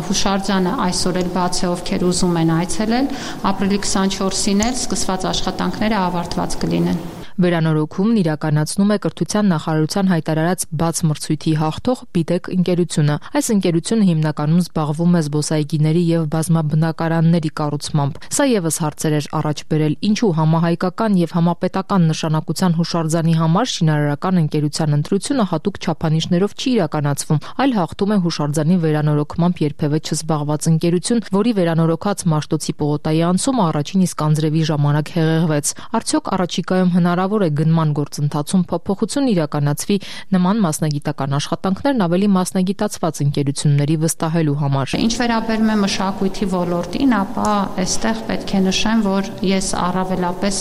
Հուշարձանը այսօր էլ բաց է, ովքեր ուզում են այցելել, ապրիլի քսանչորսին էլ սկսված աշխատանքները ավարտված կլինեն։
Վերանորոգումն իրականացնում է Կրթության նախարարության հայտարարած բաց մրցույթի հաղթող Բիտեք ընկերությունը։ Այս ընկերությունը հիմնականում զբաղվում է զբոսայգիների եւ բազմաբնակարանների կառուցմամբ։ Սա եւս հարցեր էր առաջ բերել, ինչու համահայկական եւ համապետական նշանակության հուշարձանի համար շինարարական ընկերության ընտրությունը հատուկ չափանիշներով չի իրականացվում, այլ հաղթում է հուշարձանի վերանորոգմամբ երբևէ չզբաղված ընկերություն, որի վերանորոգած Մաշտոցի պողոտայի անցումը առաջին իսկ անձրևի ժամանակ հեղեղվեց։ Արդյոք առաջիկայում հնարավոր է գնման գործընթացում փոփոխություն իրականացվի նման մասնագիտական աշխատանքներն ավելի մասնագիտացված ընկերությունների վստահելու համար։
Ինչ վերաբերում է մշակույթի ոլորտին, ապա այստեղ պետք է նշեմ, որ ես առավելապես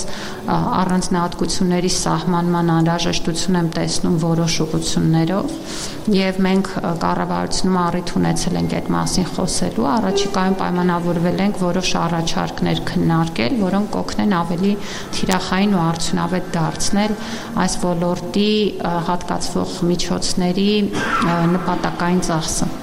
առանձնահատկությունների սահմանման անհրաժեշտություն եմ տեսնում որոշ ուղղություններով եւ մենք կառավարությունում առիթ ունեցել ենք այդ մասին խոսելու, առաջիկայում պայմանավորվել ենք որոշ առաջարկներ քննարկել, որոնք կօգնեն ավելի թիրախային ու արդյունավետ դարձնել այս ոլորտի հատկացվող միջոցների նպատակային ծախսը։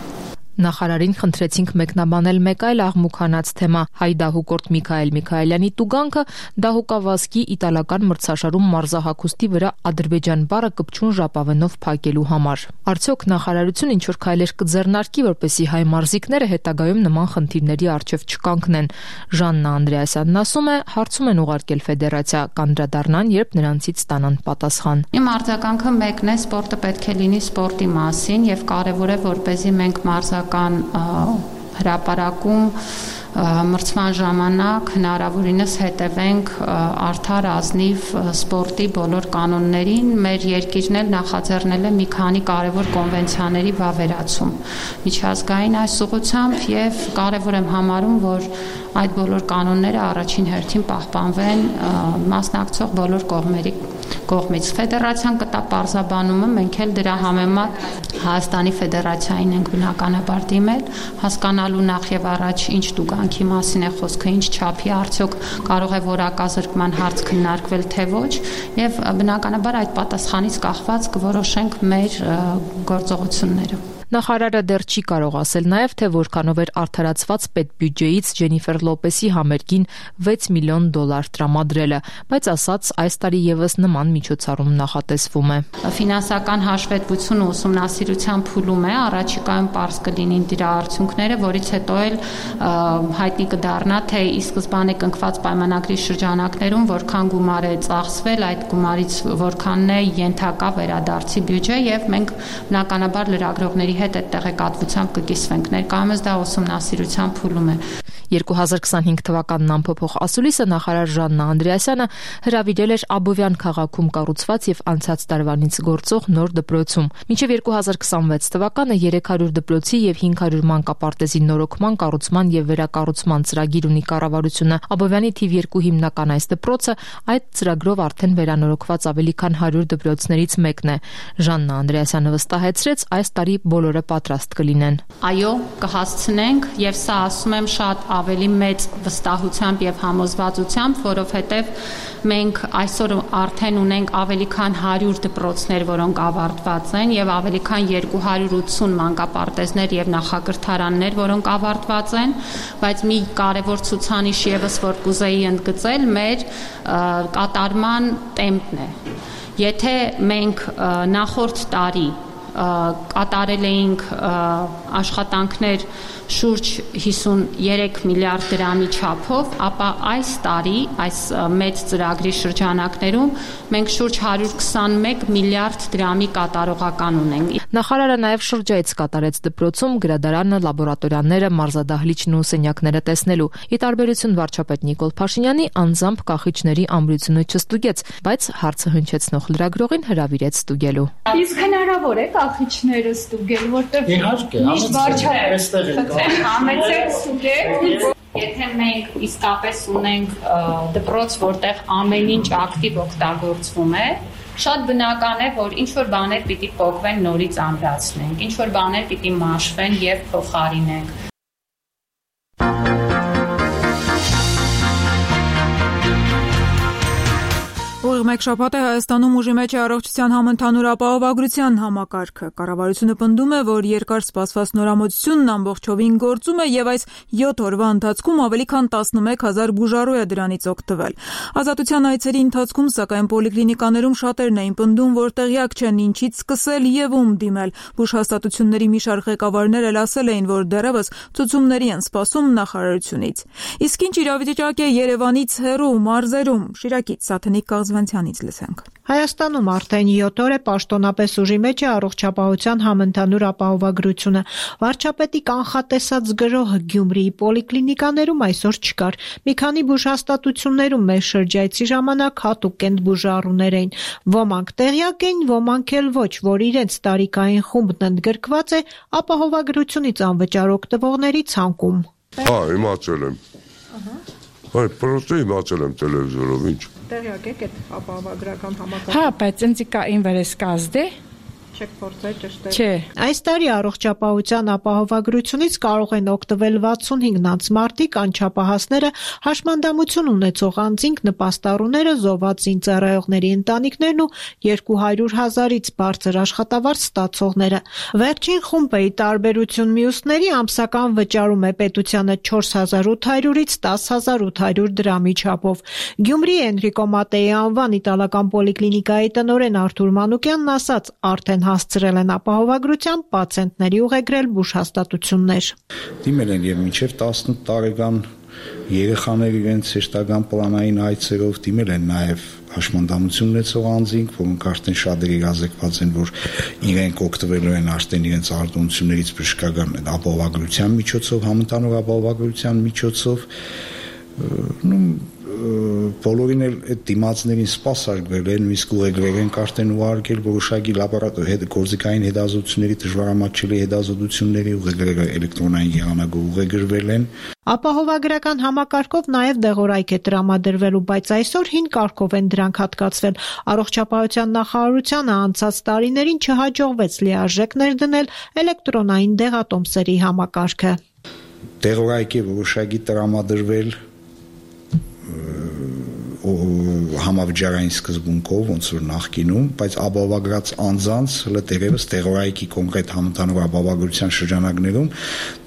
Նախարարին խնդրեցինք մեկնաբանել մեկ այլ աղմուկանաց թեմա՝ հայ դահուկորդ Միքայել Միքայելյանի տուգանքը դահուկավազքի իտալական մրցաշարում մարզահագուստի վրա Ադրբեջան բառը կպչուն ժապավենով փակելու համար։ Արդյոք նախարարությունը ինչ-որ քայլեր կձեռնարկի, որպեսզի հայ մարզիկները հետագայում նման խնդիրների առջև չկանգնեն։ Ժաննա Անդրեասյանն ասում է, հարցում են ուղարկել ֆեդերացիա, կանդրադառնան, երբ նրանցից ստանան պատասխան։
Իմ արձագանքը մեկն է, սպորտը պետք է լինի սպորտի մասին եւ կարեւոր է, որպեսզի մենք մարզական հրապարակում մրցման ժամանակ հնարավորինս հետևենք արդար ազնիվ սպորտի բոլոր կանոններին։ Մեր երկիրն էլ նախաձեռնել է մի քանի կարևոր կոնվենցիաների վավերացում միջազգային այս ուղղությամբ եւ կարևոր եմ համարում, որ այդ բոլոր կանոնները առաջին հերթին պահպանվեն մասնակցող բոլոր կողմերի կողմից։ Ֆեդերացիան կտա պարզաբանումը, մենք էլ դրա համեմատ Հայաստանի Ֆեդերացիային ենք բնականաբար դիմել, հասկանալու նախ եւ առաջ ինչ տուգանքի մասին է խոսքը, ինչ չափի, արդյոք կարող է որակազրկման հարց քննարկվել թե ոչ, եւ բնականաբար այդ պատասխանից կախված կորոշենք մեր գործողությունները։
Նախարարը դեռ չի կարող ասել նաև, թե որքանով էր արդարացված պետբյուջեից Ջենիֆեր Լոպեսի համերգին վեց միլիոն դոլար տրամադրելը, բայց ասաց այս տարի եւս նման միջոցառում նախատեսվում է։
Ֆինանսական հաշվետվությունը ուսումնասիրության փուլում է, առաջիկայում պարզ կլինին դրա արդյունքները, որից հետո էլ հայտնի կդառնա, թե ի սկզբանե կնքված պայմանագրի շրջանակներում որքան գումար է ծախսվել, այդ գումարից որքանն է ենթակա վերադարձի բյուջե, եւ մենք բնականաբար լրագրողների հետ այդ տեղեկատվությամբ կկիսվենք։ Ներկայումս դա ուսումնասիրության փուլում է։
երկու հազար քսանհինգ թվականն ամփոփող ասուլիսը նախարար Ժաննա Անդրեասյանը հրավիրել էր Աբովյան քաղաքում կառուցված եւ անցած տարվանից գործող նոր դպրոցում։ Մինչեւ երկու հազար քսանվեց թվականը երեք հարյուր դպրոցի եւ հինգ հարյուր մանկապարտեզի նորոգման, կառուցման եւ վերակառուցման ծրագիր ունի կառավարությունը։ Աբովյանի թիվ երկու հիմնական այս դպրոցը այդ ծրագրով արդեն վերանորոգված ավելի քան հարյուր դպրոցներից մեկն է։ Ժաննա Անդրեասյանը վստահեցրեց, այս տարի բոլորը պատրաստ կլինեն։
Այո, կհասցնենք եւ սա ասում եմ շատ ավելի մեծ վստահությամբ եւ համոզվածությամբ, որովհետեւ մենք այսօր արդեն ունենք ավելի քան հարյուր դպրոցներ, որոնք ավարտված են եւ ավելի քան երկու հարյուր ութսուն մանկապարտեզներ եւ նախակրթարաններ, որոնք ավարտված են, բայց մի կարևոր ցուցանիշ եւս որ կուզեի ընդգծել մեր կատարման տեմպն է։ Եթե մենք նախորդ տարի կատարել էինք աշխատանքներ շուրջ հիսունյերեք միլիարդ դրամի չափով, ապա այս տարի, այս մեծ ծրագրի շրջանակներում մենք շուրջ հարյուր քսանմեկ միլիարդ դրամի կատարողական ունենք։
Նախարարը նաև շրջայց կատարեց դպրոցում գրադարանը, լաբորատորիաները, մարզադահլիճն ու սենյակները տեսնելու։ Ի տարբերություն վարչապետ Նիկոլ Փաշինյանի, անձամբ կախիչների ամրությունը չստուգեց, բայց հարցը հնչեցնող լրագրողին հրավիրեց ստուգելու։
Իսկ հնարավոր է կախիչները ստուգել, որտեղ միշտ վարչապետը համեցեք ստուգեք։
Եթե մենք իսկապես ունենք դպրոց, որտեղ ամեն ինչ ակտիվ օգտագործվում է, Շատ բնական է, որ ինչ-որ բաներ պիտի փոխվեն, նորից ամրացնենք, ինչ-որ բաներ պիտի մաշվեն եւ փոխարինենք։
Ուղիղ մեկ շաբաթ է Հայաստանում ուժի մեջ է առողջության համընդհանուր ապահովագրության համակարգը։ Կառավարությունը պնդում է, որ երկար սպասված նորամուծությունն ամբողջովին գործում է եւ այս յոթ օրվա ընթացքում ավելի քան տասնմեկ հազար բուժառու է դրանից օգտվել։ Ազատության այցերի ընթացքում սակայն պոլիկլինիկաներում շատերն էին պնդում, որ տեղյակ չեն ինչից սկսել եւ ում դիմել։ Բուժհաստատությունների մի շարք ղեկավարներ էլ ասել էին, որ դեռևս ցուցումների են սպասում նախարարությունից։ Իսկ ինչ իրավիճակ է Երևանից հեռու մարզերում։ Շիրակից Սաթենիկ Կազվանցյանից լսենք։
Հայաստանում արդեն յոթ օր է պաշտոնապես ուժի մեջ է առողջապահության համընդհանուր ապահովագրությունը։ Վարչապետի կանխատեսած գրոհը Գյումրիի պոլիկլինիկաներում այսօր չկար։ Մի քանի բուժհաստատություններում մեր շրջայցի ժամանակ հատուկ կենտբուժառուներ էին։ Ոմանք տեղյակ էին, ոմանք էլ ոչ, որ իրենց տարիքային խումբն ընդգրկված է ապահովագրությունից անվճար օգտվողների ցանկում։
Հա, իմացել եմ։ Այ պրոստը իմացել եմ տելևիզորով, ինչ։
Տեղյակ եք այդ ապահովագրական համակարգը։
Հա, բայց ինձ կա ինվերես կազդե։
Չեք փորձել ճշտել։
Չէ։
Այս տարի առողջապահության ապահովագրությունից կարող են օգտվել վաթսունհինգ անց մարդիկ, անչափահասները, հաշմանդամություն ունեցող անձինք, նպաստառուները, զոհվածին ծառայողների ընտանիքներն ու երկու հարյուր հազարից բարձր աշխատավարձ ստացողները։ Վերջին խումբը ի տարբերություն մյուսների ամսական վճարում է պետությանը չորս հազար ութ հարյուրից տաս հազար ութ հարյուր դրամի չափով։ Գյումրիի Էնրիկո Մատեի անվան իտալական պոլիկլինիկայի տնօրեն Արթուր Մանուկյանն ասաց, արդեն հասցրել են ապահովագրության պացիենտների ուղեգրել բուժհաստատություններ։
Դիմել են եւ մինչեւ տասնութ տարեկան երեխաներ իրենց հեշտական պլանային այցերով, դիմել են նաեւ հաշմանդամություն ունեցող անձինք, որոնք արդեն շատ իրազեկված են, որ իրենք օգտվելու են արդեն իրենց արտոնություններից բժշկական ապահովագրության միջոցով, համընդհանուր ապահովագրության միջոցով, նո բոլորին էլ այդ դիմացներին սպասարկվել են, իսկ ուղեգրել են արդեն ուղարկել որոշակի լաբորատոր հետ գործիքային հետազոտությունների դժվարամատչելի հետազոտությունների ուղեգրել էլեկտրոնային եղանակով ուղեգրվել են։
Ապահովագրական համակարգով նաև դեղորայք է տրամադրվելու, բայց այսօր հին կարգով են դրանք հատկացվել։ Առողջապահության նախարարությանը անցած տարիներին չհաջողվեց լիարժեք ներդնել էլեկտրոնային դեղատոմսերի համակարգը։
Դեղորայք է որոշակի տրամադրվել համավճարային սկզբունքով, ոնց որ նախկինում, բայց ապահովագրած անձանց հլը դերևս տեղորայքի կոնկրետ համընդհանուր ապահովագրության շրջանակներում,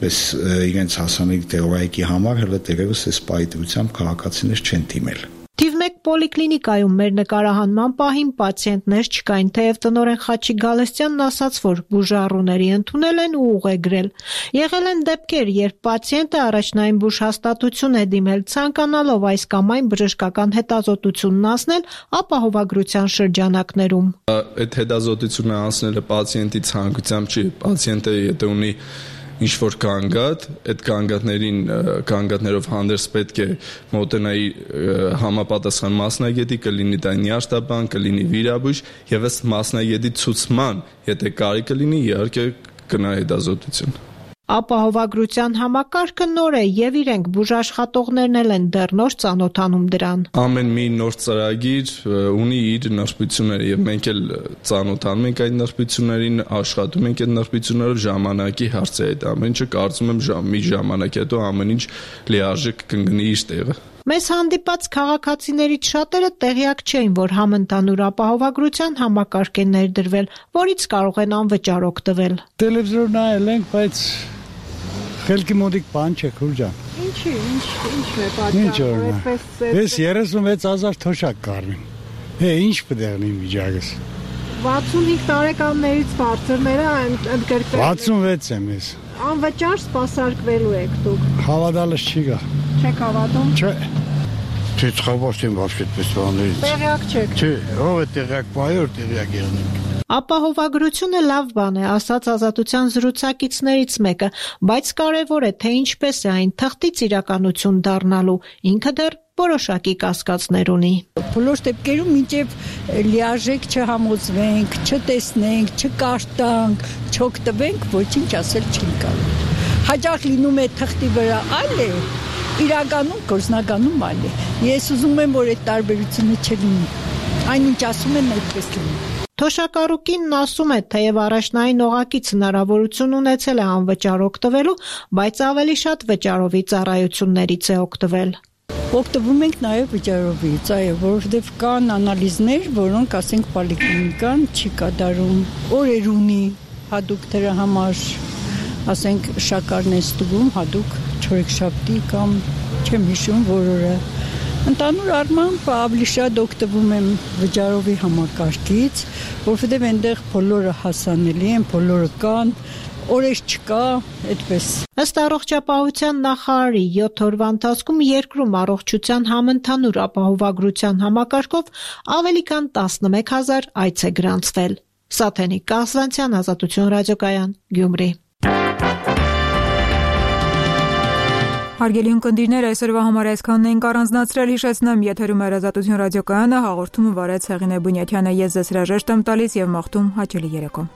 պես իրենց հասանելի տեղորայքի համար հլը դերևս այս պայթությամբ քաղաքացիներ չեն դիմել։
Թիվ մեկ պոլիկլինիկայում մեր նկարահանման պահին պացիենտներ չկային, թեև տնօրեն Խաչիկ Գալստյանն ասաց, որ բուժառուների ընդունել են ու ուղեգրել։ Եղել են դեպքեր, երբ պացիենտը առաջնային բուժհաստատություն է դիմել, ցանկանալով այս կամ այն բժշկական հետազոտությունն անցնել ապահովագրության շրջանակներում։
Այդ հետազոտությունը անցնելը պացիենտի ցանկությամբ չի, պացիենտը եթե ունի ինչ-որ կանգատ, այդ կանգատներին կանգատներով հանդերձ պետք է մոտենայի համապատասխան մասնագետի, կլինի դա նյարդաբան, կլինի վիրաբույժ եւ ըստ մասնագետի ցուցման, եթե կարիք կլինի, իհարկե կնա հետազոտություն։
Ապահովագրության համակարգը նոր է եւ իրենք բուժաշխատողներն էլ են դեռ նոր ծանոթանում դրան։
Ամեն մի նոր ծրագիր ունի իր նրբությունները եւ մենք էլ ծանոթանում ենք այդ նրբություններին, աշխատում ենք այդ նրբություններով, ժամանակի հարց է այդ ամեն ինչը, կարծում եմ ժամ, մի ժամանակ հետո ամեն ինչ լիարժեք կընկնի իր տեղը։
Մեզ հանդիպած քաղաքացիներից շատերը տեղյակ չէին, որ համընդհանուր ապահովագրության համակարգ է ներդրվել, որից կարող են անվճար օգտվել։
Տելևիզոր նայել ենք, բայց խելքի մոտիկ բան չէ, քուրջան։
Ինչի, ինչ, ինչն է պատճառը, այդպես։
Ես երեսունվեց հազար թոշակ կառնեմ։ Հե, ինչ պետք է լինի վիճակս։
վաթսունհինգ տարեկաններից բարձրները ընդգրկվել։
վաթսունվեց եմ ես։
Անվճար սպասարկվելու եք դուք։
Հավատալս չի գա։
Չեք հավատում։
Չէ։
Թե ծխաբաշտին բաշխ այդպես բաներից։
Տեղյակ չեք։
Չէ, ով է տեղյակ, բայոր տեղյակ եղնենք։
Ապահովագրությունը լավ բան է, ասաց Ազատության զրուցակիցներից մեկը, բայց կարևոր է, թե ինչպես է այն թղթից իրականություն դառնալու, ինքը դեռ որոշակի կասկածներ ունի։
Բոլոր դեպքերում մինչև լիարժեք չհամոզվենք, չտեսնենք, չկարտանք, չօգտվենք, ոչինչ ասել չի կարող։ Հաճախ լինում է թղթի վրա այլ է, իրականում գործնականում այլ է։ Ես ուզում եմ, որ այդ տարբերությունը չլինի։ Այնինչ ասում են այդպես լինի։
Թոշակառուկինն ասում է, թեև առաջնային օղակից հնարավորություն ունեցել է անվճար օգտվելու, բայց ավելի շատ վճարովի ծառայություններից է օգտվել։
Օգտվում ենք նաև վճարովից, այո, որովհետև կան անալիզներ, որոնք, ասենք, պոլիկլինիկան չի կատարում, օրեր ունի հատուկ դրա համար, ասենք, շաքարն է ստուգում հատուկ չորեքշաբթի կամ չեմ հիշում որ օրը։ Ընդհանուր առմամբ ավելի շատ օգտվում եմ վճարովի համակարգից, որովհետև այնտեղ բոլորը հասանելի են, բոլորը կան, օրեր չկա, այդպես։
Ըստ առողջապահության նախարարի յոթ օրվա ընթացքում երկրում առողջության համընդհանուր ապահովագրության համակարգով ավելի քան տասնմեկ հազար այց է գրանցվել։ Սաթենիկ Կասվանցյան, Ազատություն ռադիոկայան, Գյումրի։
Հարգելի ունկնդիրներ, այսօրվա համար այսքանն ենք առանձնացրել, հիշեցնեմ, եթերում է Ազատություն ռադիոկայանը, հաղորդումը վարեց Հեղինե Բունյաթյանը, ես ձեզ հրաժեշտ եմ տալիս եւ մաղթում հաճելի երեկո։